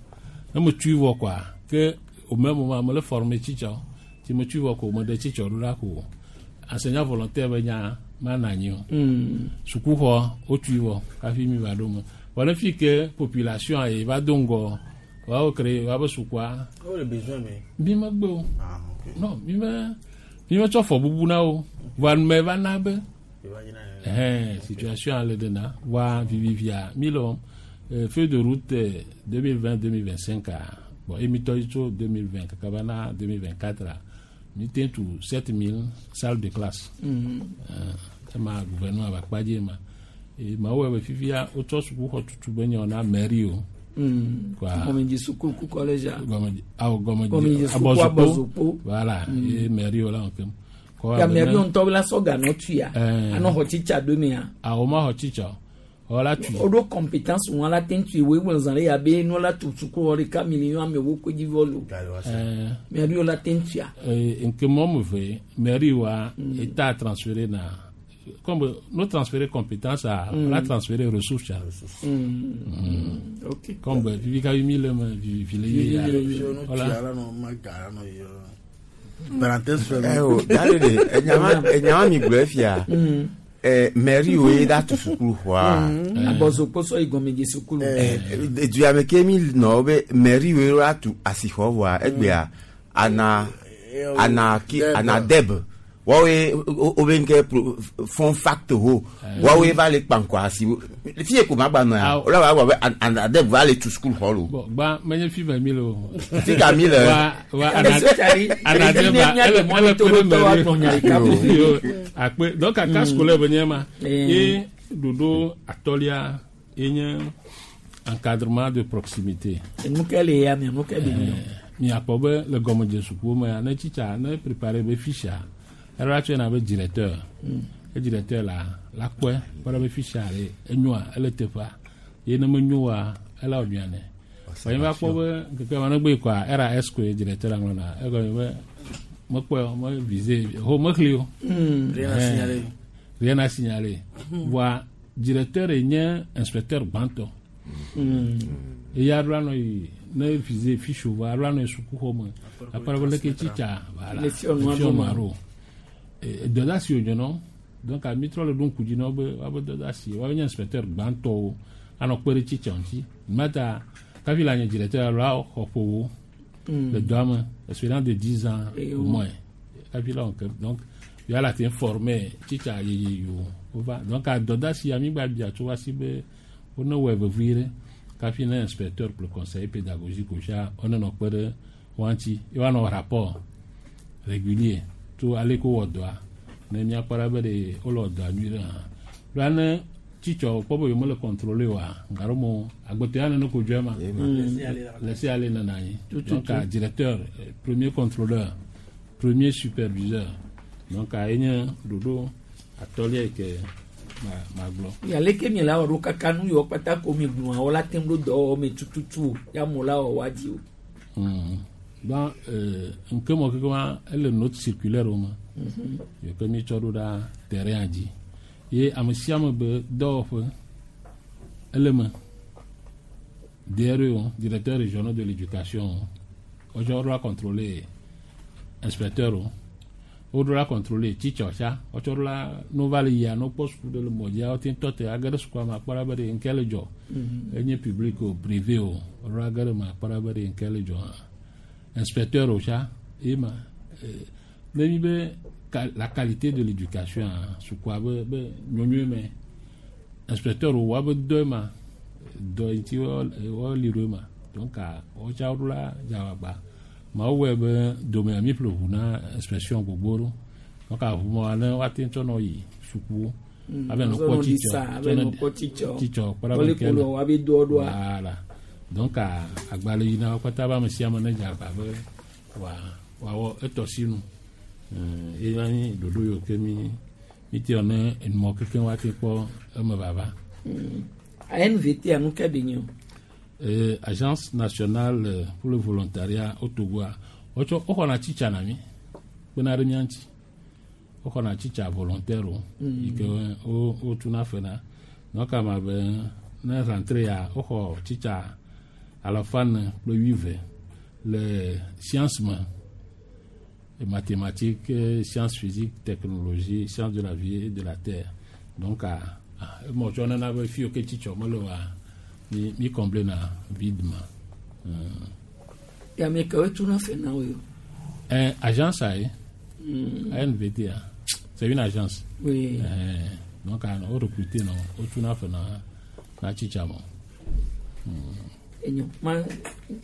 ne me tui vɔ kɔa ke au même moment me le former tsitsawo ti me tui vɔ ko me ɖe tsitsa ɖo ɖa ko enseignant volontaire be nya ma na anyi o. Sukuxɔ wotui vɔ hafi mi va ɖo me vɔ ne fi ke population ye va do ŋgɔ woawo créer woabe sukua Wo le besoin me. mi megbe o non mi me mi metsɔ fɔ bubu na wo vɔa nume va na be ɛhɛn situation ale de na wa vivivia mi le wɔm feuille de route 2020 2025 a bon emi tɔ yi tso 2020 kaka va na 2024 a mi te tu 7000 salles de classe. Ema gouvernement ba kpa dzi ma e ma wɔe be fifia wotsɔ sukuxɔ tutu be nye na mairie o. Quoi. Gɔmedzi suku ku collège a. Gɔmedzi awo gɔmedzi Gɔmedzi suku Abɔzokpo. Voilà ye mairie o la wɔn kem. Kɔ Ya abe mairie ne- ŋutɔ la sɔ ga nɔ tuia. Eh. Anɔ xɔ tsitsa ɖo mea. Awo ma xɔ tsitsa o wɔ la tui. Woɖo compétence wọn la te ŋutui wo egblɔ zã ɖe ya be nua la tu suku xɔ ɖeka million amewo ko dzi vɔ lo. Mairie la te ŋutuia. Nke mɔ me ve mairie wa état a transféré na comme no transféré compétence a la transféré ressources a. Ok. Comme vivi ka mi le me vivi le ye ya. Voilà. Parenthèse fermée. Eh, oh, dale de, enyama mi gblɔe fia. Mairie wo ye da tu sukulu xɔa. Abɔzokpɔsɔ yi gɔmedze sukulu. Dua me ke mi nɔ be mairie wo la tu asixɔ vɔa egbea ana ana ki ana deb wɔwoe wobe nke fond fact ho wɔwoe va le kpankɔ asi fie ko ma gba nɔ ya wòle wa gbɔ be ana deb va le tu sukulu xɔ lo. Bon, gba menye fi va mi le o. Fi ka mi le. Wa wa ana ana deb ele ele pe ɖe mairie. Yo, akpe donc kaka scolaire be nye ma. Ye ɖoɖo atɔlia ye nye encadrement de proximité. Nu ke le ya me, nu ke le mi. Miakpɔ be le gɔmedze sukuwo mea, ne tsitsa ne préparé be fiche eɖo la tsɔe na be directeur. E directeur la la kpɔe kpɔ ɖe be fiche ɖe enyoa ele teƒea ye ne menyo oa ela wɔ nyuia nɛ. Vɔ nye va kpɔ be ŋkeke ma negbe kɔa RAS koe directeur la ŋlɔna egɔme be mekpɔe o me visé ho mexli o. Rien à signaler. Rien à signaler. Voa directeur ye nye inspecteur gbãtɔ. Eya ɖo anɔ yi ne visé fiche o voa ɖo anɔ yi sukuxɔ me akpɔ ɖe be leke tsitsa voilà Le fiɔ nua le fiɔ ɖo. nua ɖo. Dɔdeasi wònye nɔ donc mi trɔ le ɖo ŋku dzi na wo be woabe dɔdeasi woabe nye inspecteur gbãtɔwo anɔ kpe ɖe tsitsa ŋuti mata kafi le nye directeur alo axɔ ƒowo le dɔa me expérience de 10 ans au moins kafi la wɔn ke donc ya la te former tsitsa yeye yiwo wova donc dɔdeasi ya mi gba bia tso wa si be wone wɔe vevie ɖe kafi ne inspecteur kple conseiller pédagogique o sia wone nɔ kpe ɖe wa ŋuti ye woanɔ rapport régulier tso ale ko wɔ dɔa ne míakpɔ ɖa be ɖe wole wɔ dɔa nyuie ɖe hã la ne tsitsɔ kpɔ be yewomele contrôler oa gaɖo mo agbetɔ ya nene ko dzɔe ma laisser aller nana anyi Tout, tout, donc tout. directeur premier contrôleur premier superviseur donc enye ɖoɖo atɔlia yi ke ma magblɔ. Aleke mi la wɔ ɖo kaka nu yiwo kpata ko mi gblɔa wo la te ŋu ɖo dɔwɔwɔ me tututu o ya mo la wɔ wa dzi o. Donc nke mɔ keke ma ele note circulaire wo me yi ke mi tsɔ ɖo ɖa terrain dzi ye ame sia ame be dɔwɔƒe ele me DRE o directeur régional de l'éducation o wotsɔ ɖo la contrôler inspecteur o woɖo la contrôler tsitsɔ tsa wotsɔ ɖo la no va le yia no kpɔ suku ɖe le mɔ dzia wote tɔ te age ɖe sukua me akpɔ ɖa be ɖe nke le dzɔ enye public o privé o woɖo la ge ɖe me akpɔ ɖa be ɖe nke le dzɔ hã inspecteur o tsa ye ma ne mi be la qualité de l'éducation a sukua be be nyonyoe me inspecteur o wa be dɔe ma dɔ yi ŋuti wo li ɖo ma donc wotsa woɖo la dzawagba mawo wɔe be domea mi ƒle ʋu na inspection gbogbo ɖo donc aʋu ma ne woate ŋu tsɔ nɔ yi sukuwo abe nɔ kpɔ tsitsɔ abe nɔ kpɔ tsitsɔ tsitsɔ kpɔ ɖa be wole ke ko le lɔ wa be doɔ ɖoa. voilà donc agbalẽ yi na wo katã be ame sia ame ne dze agba be wa wòawɔ etɔ sinu ye na nyi ɖoɖo yiwo ke mi mi te wɔ ne enumɔ kekeŋ woate kpɔ eme vava. ANVT a nu ke be nye o. Agence nationale pour le volontariat au Togo a wotsɔ woxɔna tsitsa na mi kpena ɖe mía ŋuti woxɔna tsitsa volontaire o yi ke wo wotuna fe na donc ama be ne rentrée ya woxɔ tsitsa alafa ene kple wuieve le science me mathématiques, sciences physiques, technologie, sciences de la vie et de la terre. Donc, emɔ tsɔ nana be fi yiwo ke tsitsɔ mele oa mi mi comblé na vide ma. Ya ame kewo tuna fe na wo yo. Agence a ye ANVT a c'est une agence. Oui. Donc wo recruter nɔ wotuna fe na na tsitsa mɔ. Enyo ma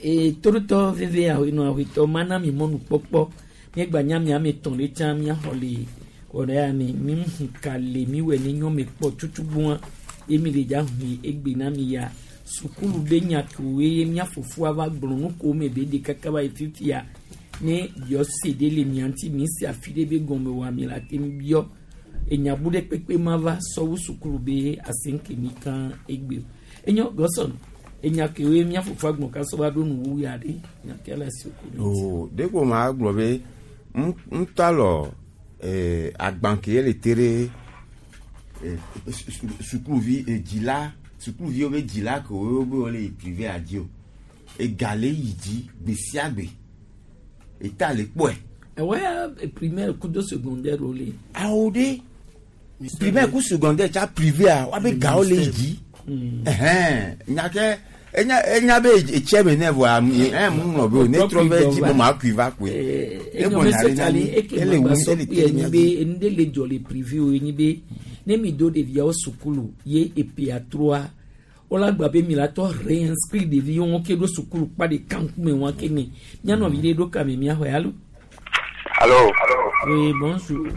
e torotɔ veve awo nɔ awitɔ mana mi mɔnu kpɔkpɔ miegba nya mi ame tɔn ɖe tsã miaxɔ le wɔɖe ya mi mi hu ka le mi wɔ ne nyɔ me kpɔ tutugbɔa ye mi le dza hu egbe na mi ya sukulu be nya kewoe ye mia fofoa va gblɔ nu ko me be de kaka va yi fifia ne biɔ se ɖe le mia ŋuti mi se afi ɖe be gɔme wa mi la te biɔ enyabu ɖe kpekpe ma va sɔwu sukulu be asenke mi kan egbe o enyo gɔsɔn enya kewoe mia fofoa gblɔ kasɔ va ɖo nuwu ya ɖe nya ke le si ko o de ko ma gblɔ be ŋutɔ lɔ agban ke le te ɖe sukuvi dzila sukuviwo be dzila ke wo be wole yi privé adzi o ega le yi dzi gbe sia gbe eta le kpɔe. Ɛwɔ ya primaire kudo secondaire o le. Awo ɖe Primaire ku secondaire tsa privé a woabe gawo le yi dzi. Ɛhɛn, nya ke enya enya be etsɛ be ne vɔa ɛ mu ŋlɔ be o ne trɔ be dzi be ma kui va koe. Enyo mese tsali eke ele magba wu sɔ ele kpe te enyi mia be dzi. enu ɖe le dzɔ le privé o enyi be ne mi do ɖeviawo sukulu ye epea troa wola gba be mi la tɔ réinscrit ɖeviwo ŋu ke ɖo sukulu kpa ɖeka ŋkume wa ke ne mianɔvi ɖe ɖo kame miaxɔe alo. Allô. Oui, bonjour.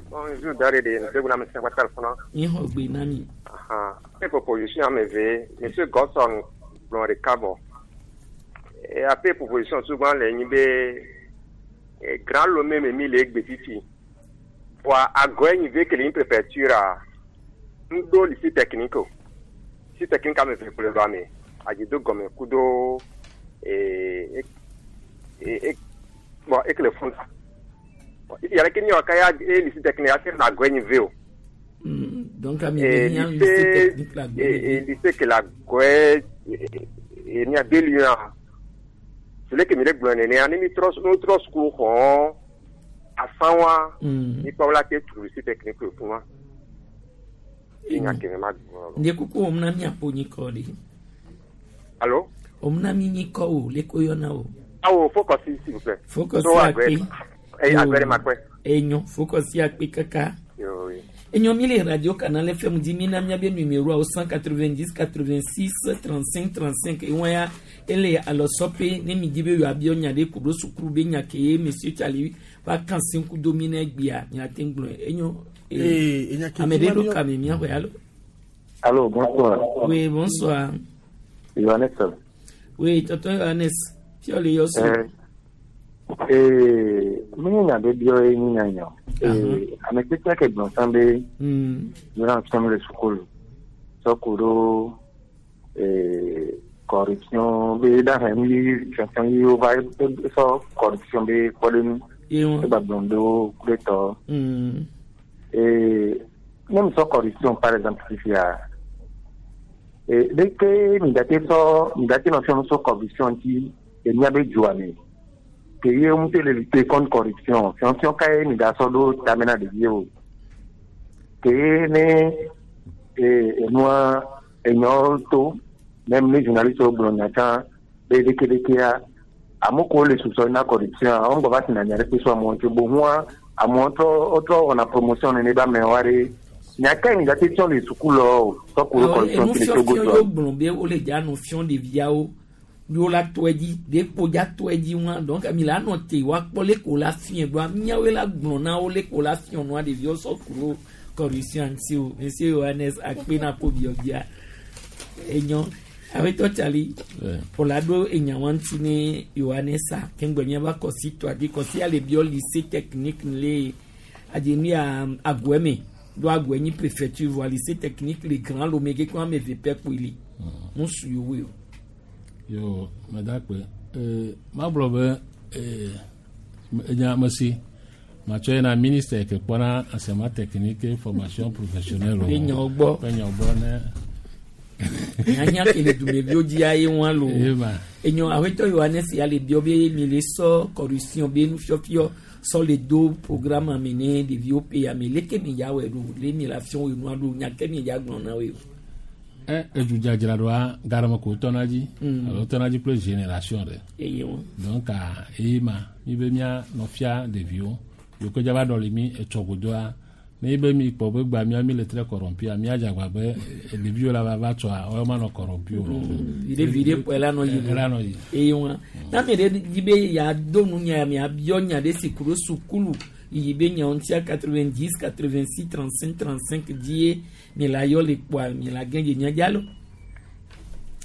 Bonjour, Darede. Monsieur Gouna, Monsieur Pascal Fona. Mi xɔ gbe na mi. Ah, proposition ame Monsieur Godson gblɔ ɖeka vɔ. E ape proposition souvent le nyi be e, Grand Lomé me mi le egbe fifi. Vɔa agɔe nyi ve ke le nyi préfecture a ŋdo lycée technique o. Lycée technique ame ve kple ɖo ame. Adzido gɔme kudo e e e bon ekele funda. Yàrá kí ni ọ̀ka ya e lycée technique ase na agɔe nyi ve o. Donc ami Eh, be mian lycée lycée technique la eh, gbe. eh, lycée ke la gɔe eh, ní abeli yẹn sele kemi le gblɔ nenea ne mi trɔ no trɔ suku xɔ afã wa mi kpɔ la te tu lycée technique le fún wa enya kemi ma gblɔ Ndie kuku wɔm na miaƒo nyikɔ ɖe. alo Wɔm na mi nyikɔ o leko yɔna o. awo focus s'il vous plaît Focus So, akpe. agbe eh agbe de ma kpe Enyo focus akpe kaka. Yo, oui. Enyo mi le radio canal FM di mi na miabe numéro au 190 86 35 35 ewọn ya ele alɔsɔpe ne mi di be yɔ abiɔ nya ɖe kuɖo sukulu be nya ke ye monsieur Tsali va kan se kudo mi na egbea miate ŋgblɔe enyo. Eh, enya ke ame ɖe ti ma ɖo miɔ- kame miaxɔe alo. Allô, bonsoir. Oui, bonsoir. Johannes. Oui, tonton Johannes. Fiɔ le yɔ so. Eh, menye nya ɖe biɔ ye nyi nyanya. Eh, ame kpekpe ke gblɔ sã be yona fiam le sukulu sɔ ku ɖo eh, corruption be ɖahe nu yi fiafiam yi wova sɔ corruption be kpɔɖeŋu Ye egba gblɔm ɖo ku ɖe tɔ. Mm. Eh, ne mi sɔ corruption par exemple fifia eh, ɖeke mi date sɔ mi date nɔ fiam sɔ corruption ŋuti le míabe dzoa me ke ye ŋutɔ le lutter contre corruption fiɔfiɔ kae mi da sɔ ɖo tame na ɖeviwo ke ye ne eh, enua enyawo to même ne journaliste wo gblɔ nya tsã be ɖekeɖekea ame kewo le susɔ na corruption a wo ŋgɔ va tina nya ɖe kpe so amewo ŋuti bohua amewo trɔ wotrɔ wɔna promotion nene be amewo aɖe nya kae mi gate tsɔ le suku lɔ o sɔ ku ɖo corruption enu ŋuti le Togo fiɔfiɔ dzoa yóò gblɔ be wole dza nɔ fiɔ ɖeviawo yóò la tɔ edzi ɖekpo dza tɔ edzi wa donc mi la nɔ te wa kpɔ leko la fiɛ doa miawoe la gblɔ na wo leko la fiɔ nua ɖeviwo sɔ ku ɖo corruption ŋuti o monsieur Johannes akpe na ko biɔbia enyɔ awetɔ Tsali wòla ɖo enyawa ŋuti ne Johannes a keŋgbɛ miava kɔsi tɔa di kɔsi ale biɔ lycée technique le adzenu ya agɔɛ me do agɔɛ nyi préfecture voa lycée technique le Grand Lomé ke kɔn ame eve pɛ kpoe li ŋusu yowoe o. Yo, medakpe. Eh, magblɔ be eh, enya mesi matsɔ yina ministre ke kpɔna enseignement technique et formation professionnelle o. Be nyawo gbɔ. Be nyawo gbɔ ne. Nyanya ke le dumeviwo dzia ye ŋua lo. Ye ma. Enyo awetɔ Yohanes ya le biɔ be mi le sɔ corruption be nufiɔfiɔ sɔ le do programme ame ne ɖeviwo pe ame leke mi dza wɔe ɖo le mi la fiɔ wo nua ɖo nya ke mi dza gblɔ na woe o. Ɛ edzudzadzraɖoa gaɖeme ko wotɔna dzi alo wotɔna dzi kple génération ɖe. Eye wɔn. Donc a eye ma mi be mía nɔ fia ɖeviwo yiwo ke dza va ɖɔli mi etsɔ godoa ne ye be mi kpɔ be gba mía mi le très corrompu mía dze agbagba be ɖeviwo la va va tsɔa woawo ma nɔ corrompu o. Viɖe viɖe kpɔe la nɔ yi Ela nɔ yi. eye wɔn na mi ɖe dzi be yeado nu nya mi abiɔ nya ɖe si ku ɖo sukulu yi be nyawo ŋutia 90 86 35 35 dzi ye mi la yɔ le kpoa mi la gɛn dze nya dza lo.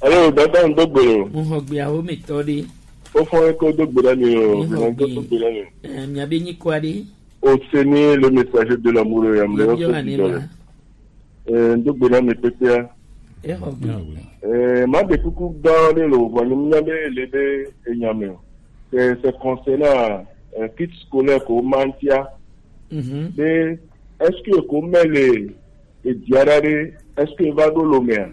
Alo, dada ń dógbè o. Mo xɔ gbeawo me tɔ ɖe. Ó fọ́n kó dógbè lẹ́nu o. Mi xɔ Ìrìnàjò gbe dógbè lẹ́nu. ɛ miabe nyikɔa ɖe. O se ní le messager de l'amour yam le Míabiɔ ɔsɔ ane ti ma. dɔlɛ. Ɛ dógbè lẹ́nu pépéa. Exɔ gbe. Ɛ má de kuku gã ɖe le wòvɔ ní mínya be le be enyame o. C'est c'est concernant euh, kit scolaire ko mantia. Mhm. Be est-ce que ko mɛle edziaɖa ɖe est-ce que va ɖo lomea?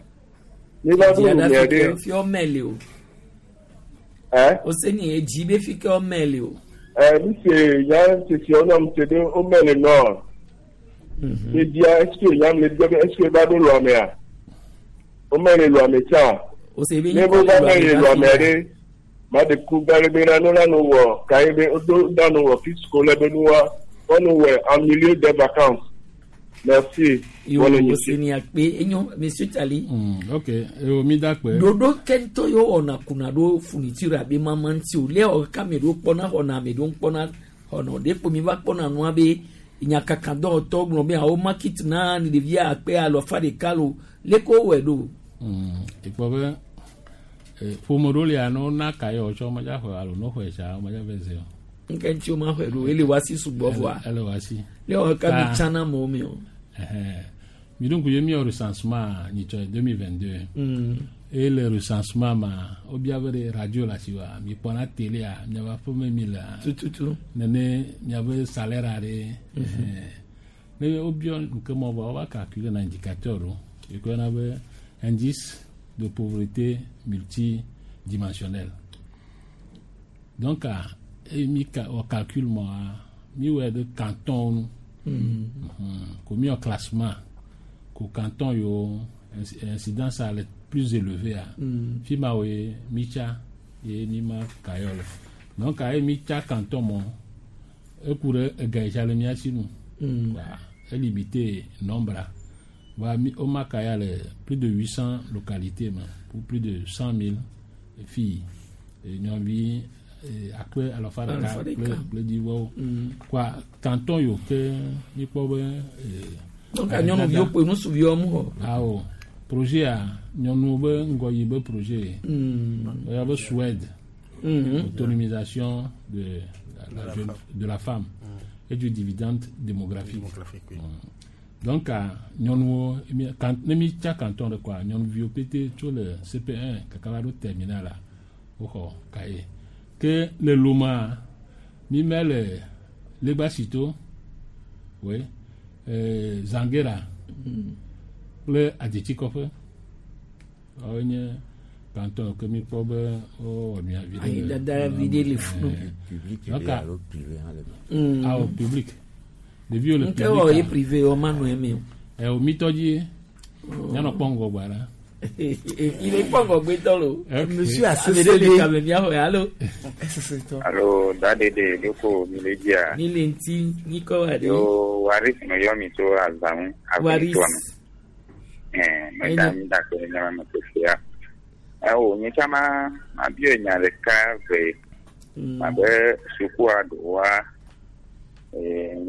Ne va ɖo Dziaɖa lomea fi ke ɖe. fi ɔmɛ le o. Ɛ? O se ni edzi be fi ke ɔmɛ le o. Ɛ mi se ya sisi ɔnɔ mi se ɖe womɛ le nɔ. Ebia est-ce que nyam le bia be est-ce que ba ɖo lɔmea? Wome le lɔme tsã. Ne be va me le lɔmea ɖe, ma ɖe ku gã ɖe be na no la no wɔ ka ye be wodo da no wɔ kit scolaire be nuwa wɔnu wɔ en milieu des vacances. Merci. Yo se ni akpe enyo monsieur Tali. Ok, yo mi da kpe. Ɖoɖo kentɔ yo wɔna kuna ɖo fourniture abe mama ŋuti o. Lé wɔ kame ɖo kpɔna xɔna ame ɖo kpɔna xɔna ɖe kpo mi va kpɔna nua be nyakaka dɔwɔtɔ gblɔ be awo market na ni ɖevia akpe alɔfa ɖeka lo lé ko wɔe ɖo. Ikpɔ be ƒome ɖewo lia ne wona ka ye wotsɔ womedza xɔe alo ne woxɔe tsa womedza va ze o. Nke ŋuti woma xɔe ɖo ele wa si sugbɔ vɔa. Ele wa si. Lé wɔ kame tsana amewo me o. Mi ɖo ŋku ye miwɔ recensement nyitsɔ 2022. Eye le recensement ma wobia be ɖe radio le asi wa mi kpɔna télé miabe aƒeme mi lea. Tututu. Nene miabe salaire aɖe. Ne wobiɔ nke mɔ vɔ wova calculer na indicateur ɖo. Yi ke woyɔna be indice de pauvreté multidimensionnelle. Donc eye mi wɔ calcul mɔ mi wɔe ɖe canton nu. Ko mi wɔ classement ko canton yiwo incidence a le plus élevé a. Fi ma woe mi tsa ye mi ma ka yɔ le. Donc eye mi tsa canton mɔ eku ɖe ega yi tsa le mía si nu. Wa elimité nombre a. Wa mi woma ka ya le plus de 800 localités me pour plus de 100 000 filles. Nyɔnuvi akpe alafa ɖeka kple dzivɔwo. Kɔa canton yiwo ke míkpɔ be. Donc nyɔnuviwo kpe nusuviwo mu xɔ. Awo projet a nyɔnuwo be ŋgɔyi be projet. Woyɔ be Suède. Autonomisation de la jeune, de la femme et du dividende démographique. Donc nyɔnuwo ne mi tsa canton ɖe kɔa nyɔnuviwo pete tso le CP1 kaka va ɖo terminal la woxɔ kaye. Ke le Loma mi mɛ le Legbasito, oui, Zanguera kple Adetsikɔƒe. Woawoe nye canton ke mi kpɔ be wowɔ nua vi ɖe. Ayi dada vi ɖe le funu. Donc awo public. Ɖeviwo le public. Nke wɔ ye privé wɔ ma nɔ eme o. Ɛ o mi tɔ dzi mianɔ kpɔ ŋgɔgbe la. Il est pas ŋgɔgbe tɔ lo. Monsieur Ame ɖe le kame miaxɔe alo. Alo da ɖeɖe ɖoko mi le dzia. Mi le ŋuti nyikɔ wa ɖe. Yo Waris me yɔ mi tso Azamu. Waris. Ɛɛ meda mi da kpe ne me kpekpea. Ewo nye tsã ma ma biɔ nya ɖeka ve. Abe sukua ɖewoa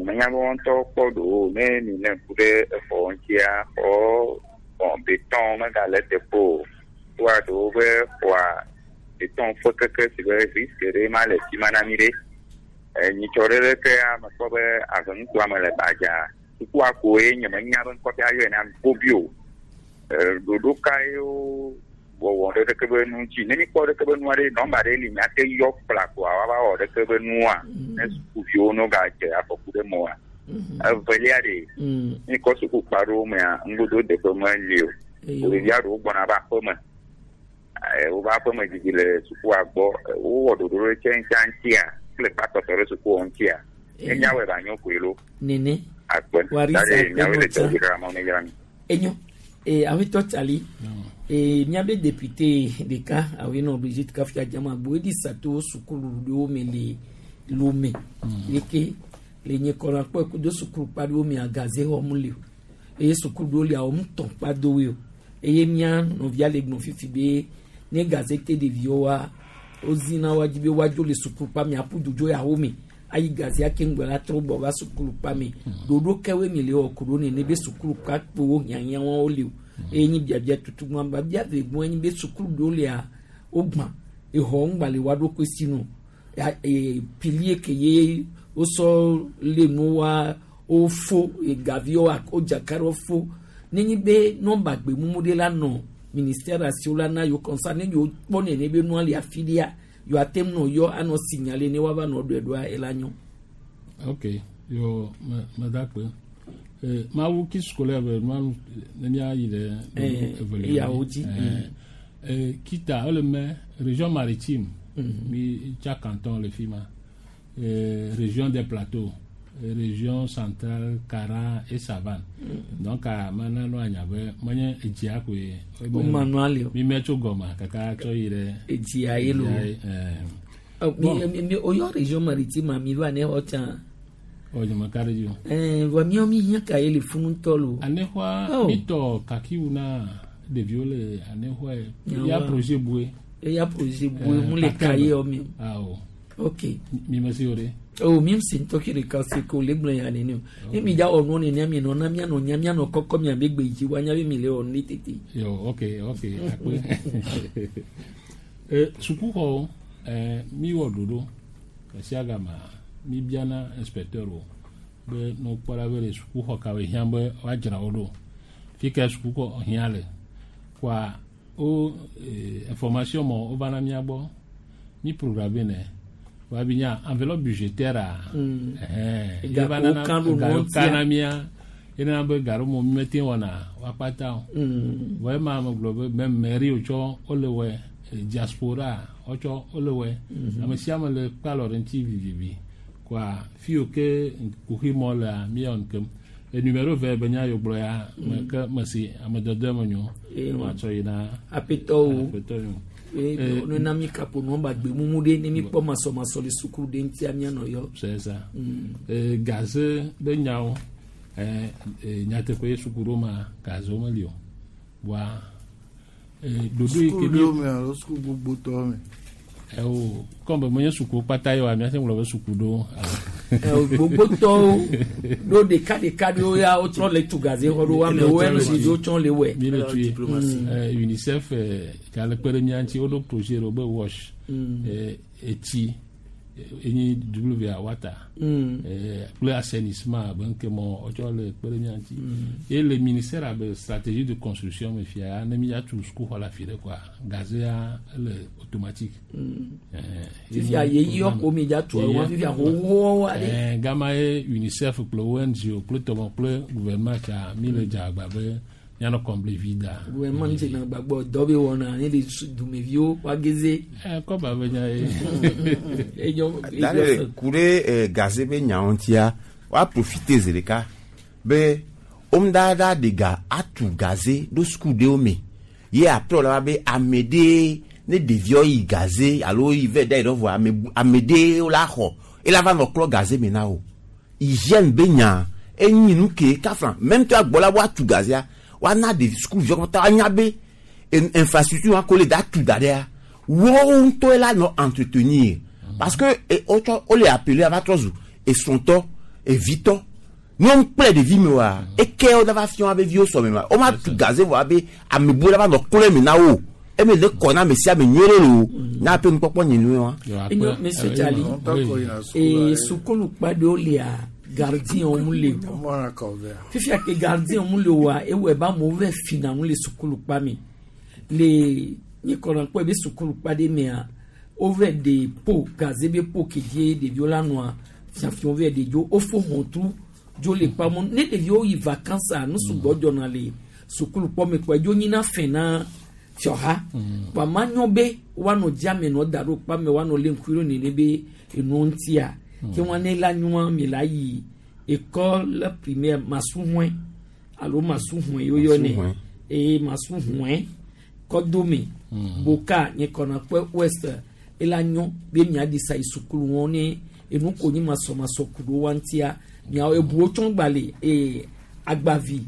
menya be ŋutɔ kpɔ ɖewo ne mi ne ku ɖe exɔ ŋutia xɔ bon béton megale teƒe o. Sukua ɖewo be xɔa béton ƒe keke si be risque ɖe ma le fi ma na mi ɖe. Nyitsɔ ɖe ɖeke mekpɔ be avenutoa me le gbadza. Sukua koe nye menya be ŋkɔ ƒe ayɔe na gobi o. Ɖoɖo ka yewo wɔwɔ ɖe ɖeke be nu ŋuti. Ne mikpɔ ɖeke be nua ɖe nɔmba ɖe li miate yɔ kpla koa woava wɔ ɖeke be nua ne sukuviwo no gadze afɔku ɖe mɔa. Evelia ɖe mikɔ sukukpa ɖewo mea ŋgodo deƒe meli o. Ɖevia ɖewo gbɔna va aƒeme. Woƒe aƒeme didi le sukua gbɔ. Wowɔ ɖoɖo ɖe tse ŋutia ŋutia kple kpatɔtɔ ɖe sukuwo ŋutia. Ne miawɔe ba nyo koe lo. Nene. Akpe. Warisa Daɖe miawoe le akpe dɔ dzi ɖe amewo ne yra mi. Enyo. Awetɔ Tsali. Miabe député ɖeka awoe nɔ Brigitte Kafia Dzamagbo edi sato sukulu ɖewo me le Lomé. Leke le nye kɔna kpɔ kudo sukulu kpa ɖewo me agaze xɔm le o. Eye sukulu ɖewo lia wɔm tɔn kpa dowoe o. Eye mía nɔvia le gblɔ fifi be ne gaze te ɖeviwo wa wozina wa dzi be woadzo le sukulu kpa me aƒu dzodzo yawo me ayi gaze ake ŋgbɛ la trɔ gbɔ va sukulu kpa me. Ɖoɖo kewoe mi le wɔ ku ɖo nene be sukulu kpa kpowo hiãhiã wo le o. Eye nyi biabia tutu gbɔn biabia ve gbɔn enyi be sukulu ɖewo lia wogbã exɔ ŋgba le wa ɖokui si nu ya pilie ke ye wosɔ le nu wa wofo egaviwo wodzaka ɖe wofo nenyi be nɔmba gbemumu ɖe la nɔ ministère asiwo la na yewo kɔnsa ne yewo kpɔ nene be nua le afi ɖea yewo ate ŋu nɔ yɔ anɔ signalé ne woava nɔ ɖɔe ɖoa ela nyɔ. Ok, yo me da kpe. Mawu ki scolaire be nua ne mía yi ɖe evelia. Eyawo dzi. Kita ele me région maritime mi tsa canton le fi ma. Région des plateaux. Région centrale, Kara et Savane. Donc a mana no anya be menye edzia koe. Wo ma nua le o. Mi me tso gɔma kaka tsɔ yi ɖe. Edzia ye lo. Edzia ye, ɛɛ. Ɔ, mi mi oyɔ région maritime mi va ne xɔ tsã. Ɔ nyeme ka ɖe dzi o. Ɛɛ vɔ miawo mi hiã ka ye le funu ŋutɔ lo. Anexɔa Oh. mi tɔ kakiwu na ɖeviwo le anexɔa ye. Nyawoa. Ya projet bue. Eya projet bue mu le ka ye wɔ mi. Awo. Ok. Mi me si o de. O mi si ŋutɔ ke ɖeka se ko le gblɔ ya nene o. Ne mi dza wɔ nuwo nenea mi nɔ na mianɔ nya mianɔ kɔkɔ miabe gbe dzi wa nya be mi le wɔ nu ɖe tete. Yo, ok, ok, akpe. E, sukuxɔwo, e, mi wɔ ɖoɖo esia gama mi biana inspecteur wo be ne wokpɔ ɖa be le sukuxɔ kawoe hiã be woadzra wo ɖo. Fi ka sukuxɔ hiã le. Kɔa wo e, information mɔ wova na mía gbɔ. Mi programme nɛ. Woabi nya enveloppe budgétaire a. Ɛhɛn. Ega Ye va ko nana- kan ɖo ga nuwo ko ŋutia. kan na mía. Ye nana be ga ɖo mɔ mi mete wɔna woakpata o. Vɔ ema megblɔ be meme mairie wotsɔ wole wɔe, eh, diaspora wotsɔ wole wɔe. Ame sia ame le kpe alɔ ɖe ŋuti vivivi. Kɔa fi yiwo ke kuxi mɔ lea míawɔ nu kem. E numéro vert be nya yiwo gblɔ ya me ke mesi ame dɔdɔe me nyo. Eh, Woatsɔ yi na Aƒetɔwo. aƒetɔ nyo. Ee, Eh, ne na mi kapo nua ba gbe mumu ɖe ne mi kpɔ masɔmasɔ le sukulu ɖe ŋutia mianɔ yɔ. C'est ça. Eh, gaze be nyawo eh, eh, nyateƒe ye suku ɖo ma gazewo meli o. Voa eh, ɖoɖo yi ke Sukulu mi ɖewo me alo sukulu gbogbotɔwo me. Ewo kɔm be menye sukuwo kpata ye oa míate ŋu gblɔ be suku ɖewo. Gbogbotɔwo ɖo ɖeka ɖeka ɖewo ya wotrɔ le tu gaze xɔ ɖo amewo enu si wotsɔ le wɔe. Mi le tui. Eh, UNICEF eh, ka le kpe ɖe mía ŋuti woɖo projet ɖewo be wash. Eh, etsi eh, enyi WA water. Eh, kple assainissement abe ŋke mɔ wotsɔ le kpe ɖe mía ŋuti. Ye le ministère abe stratégie de construction me fia ya ne míatu sukuxɔ le afi ɖe koa gaze ya ele automatique. Eh, Fifia yeyi yɔ ko mi dza tu wa fifia xoxoxo aɖe. Eh, gama ye UNICEF kple ONG kple tɔmɔ kple gouvernement tsa mi le dze agba be míanɔ kɔmble vi da. Gouvernement ŋuti na gbagbɔ dɔ be wɔna ne le dumeviwo woageze. Eh, kɔba be nya ye. Edzɔ Dale ku ɖe eh, gaze be nyawo ŋutia woa profite zi ɖeka be womda ɖe ga atu gaze ɖo suku ɖewo me ye après wòle va be ame ɖe ne ɖeviawo yi gaze alo yi vɛ da yi ɖe vɔ ame bu- ame ɖe la xɔ ela va nɔ klɔ gaze me na wo hygiène be nya enyi nu ke kafla même tɔ agbɔ la woatu gazea woana ɖevi sukuviwo katã woanya be infrastructure wa ko le da tu da ɖea woawo ŋutɔe la nɔ entretenir parce que eh, wotsɔ wole appelé ava trɔ zu esrɔ̃tɔ evitɔ ne wo kple ɖevi me oa eke wo dava fia be viwo sɔme ma wo ma tu gaze vɔ abe ame bu la va nɔ klɔe me na wo eme le kɔ na ame sia ame nyuie ɖe lo nya ƒe nukpɔkpɔ nye nu wa. Enyo Monsieur Charlie. Ee sukulu kpa ɖewo lia gardien wo mu le o. Fifia ke gardien wo mu le oa ewɔe be amewo va fina nu le sukulu kpa me. Le nye kɔnɔ kpɔe be sukulu kpa ɖe mea wova ɖe po gaze be po ke dzi ɖeviwo la nɔa fiafiawo va ɖe dzo wofo hɔntru dzo le kpa mɔ ne ɖeviwo yi vacances nu sugbɔ dzɔna le sukulu kpɔ me kpɔ dzo nyina fɛ na fiɔha kpa ma nyɔ be woanɔ dziame nɔ da ɖo kpa me woanɔ lé ŋku ɖo nene be enuwo ŋutia ke wɔn ne la nyɔa mi la yi école primaire masuhɔe alo masuhɔe yoyɔ nɛ Masuhɔe. eye masuhɔe kɔdome boka nye kɔna kpɔ ouest ela nyɔ be miaɖi sa yi sukulu wɔn ne enu ko nyi masɔmasɔ ku ɖo wa ŋutia miawo ebuwo tsɔ gba le ee agbavi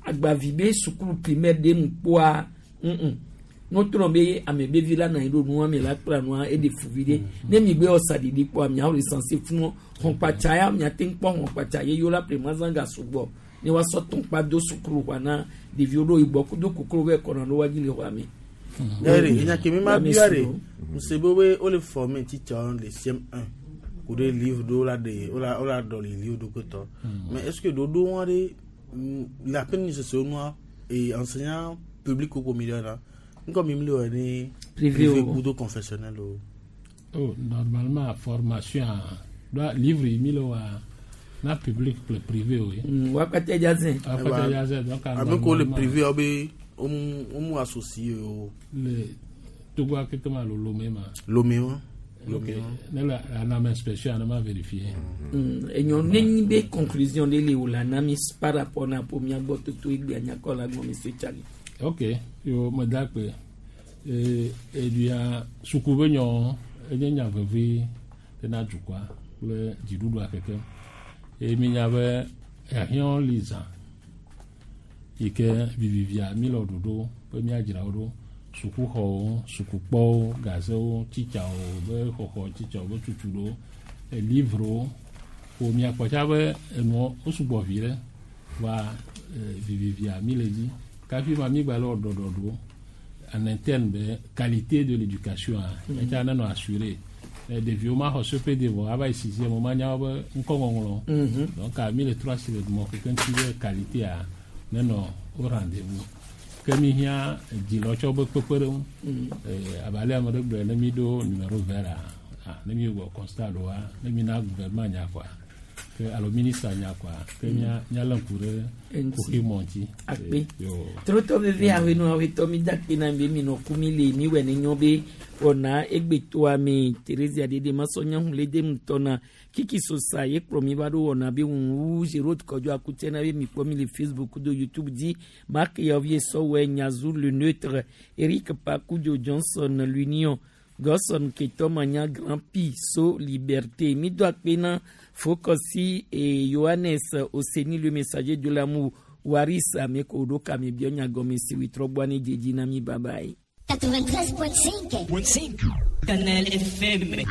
agbavi be sukulu primaire ɖe nu kpoa ŋu n'otrɔ be ame be vi la na anyi ɖo nua mi la kpla nua eɖe fuvi ɖe ne mi gbe wɔ saɖiɖi kpoa miawo le sanse funu xɔnkpatsa ya miate ŋu kpɔ xɔnkpatsa ye yio la premazanga sugbɔ ne woasɔ tɔnkpa do sukulu xɔa na ɖeviwo ɖo yigbɔ kudo koklo bɛ kɔnɔ ɖo wa dzi le xɔa me. Yɛrɛ enya ke mi ma Ame bia de sugbɔ. mse be be wole former teacher le CM1 ku ɖe livre ɖewo la ɖe wola wola ɖɔli livre ɖo kotɔ mais est ce que ɖoɖo wa ɖe le aƒe ni sese nua et enseignant public ko mi ɖe la ŋkɔ mi mi le wɔ ne Privé o. kudo confessionnel o. Oh, normalement formation a livre yi mi le wa na public kple privé o ye. Wakpatɛ dza zẽ. Wakpatɛ dza zẽ donc ame ko le normalement- privé awo be womu womu associé o. Le Togo akeke ma alo Lomé ma. Lomé wa. Ok, ne le anam inspection ne ma vérifier. Enyɔ nenyi be conclusion ɖe le wò la na mi par rapport na ƒo mia gbɔ toto egbea nyakɔ la gbɔ monsieur Tsali. Ok, yo meda akpe. Eduya suku be nyɔ enye nya vevi ɖe na dukɔa kple dziɖuɖua keke. Eye mi nya be ehiã li zã yi ke vivivia mi le ɖoɖo be míadzra wo ɖo sukuxɔwo, sukukpɔwo, gazewo, tsitsawo be xɔxɔ, tsitsawo be tutuɖo, livrewo. Ko miakpɔ tsa be enuɔ wo sugbɔ vi ɖe va vivivia mi le dzi. Kafi ma mi gba le wɔ ɖɔɖɔɖo en interne be qualité de l'éducation a etsa nenɔ assuré. Ɖeviwo ma xɔ CPD vɔ ava yi sixième wo ma nya wo be ŋkɔŋɔŋlɔ. Donc mi le trɔ asi le mɔ keke ŋuti be qualité a nenɔ au rendez-vous. Ke mi hiã dzilɔtsɔ be kpekpeɖeŋu. Abe ale ame ɖe gblɔe ne mi ɖo numéro vert a, ne mi wɔ constat ɖoa, ne mi na gouvernement nya kɔa, ke alo ministre nya kɔa, ke mía míalé ŋku ɖe Eŋuti. kuxi mɔ ŋuti. Akpe. Yo. Trotɔ veve awenu awetɔ mi da akpe na mi be mi nɔ ku mi le mi wɔ ne nyɔ be wɔna egbetoa me Theresia dede masɔ nyahu le dem tɔna kiki sosa ye kplɔ mi va ɖo wɔna be ŋu Gérard Kɔdjo akutɛ na be mi kpɔ mi le Facebook do YouTube dzi Marc Yavier Sɔwɛ Nyazu le neutre Eric Pakudio Johnson l'Union Gosson Keto Manya Grand Pi So Liberté mi do akpe na Fokosi et Johannes Oseni le messager de l'amour Waris ameko ɖo kame biɔ nya gɔme si witrɔ gbɔ ne dzedzi na mi bye bye. 93.5. Canal FM.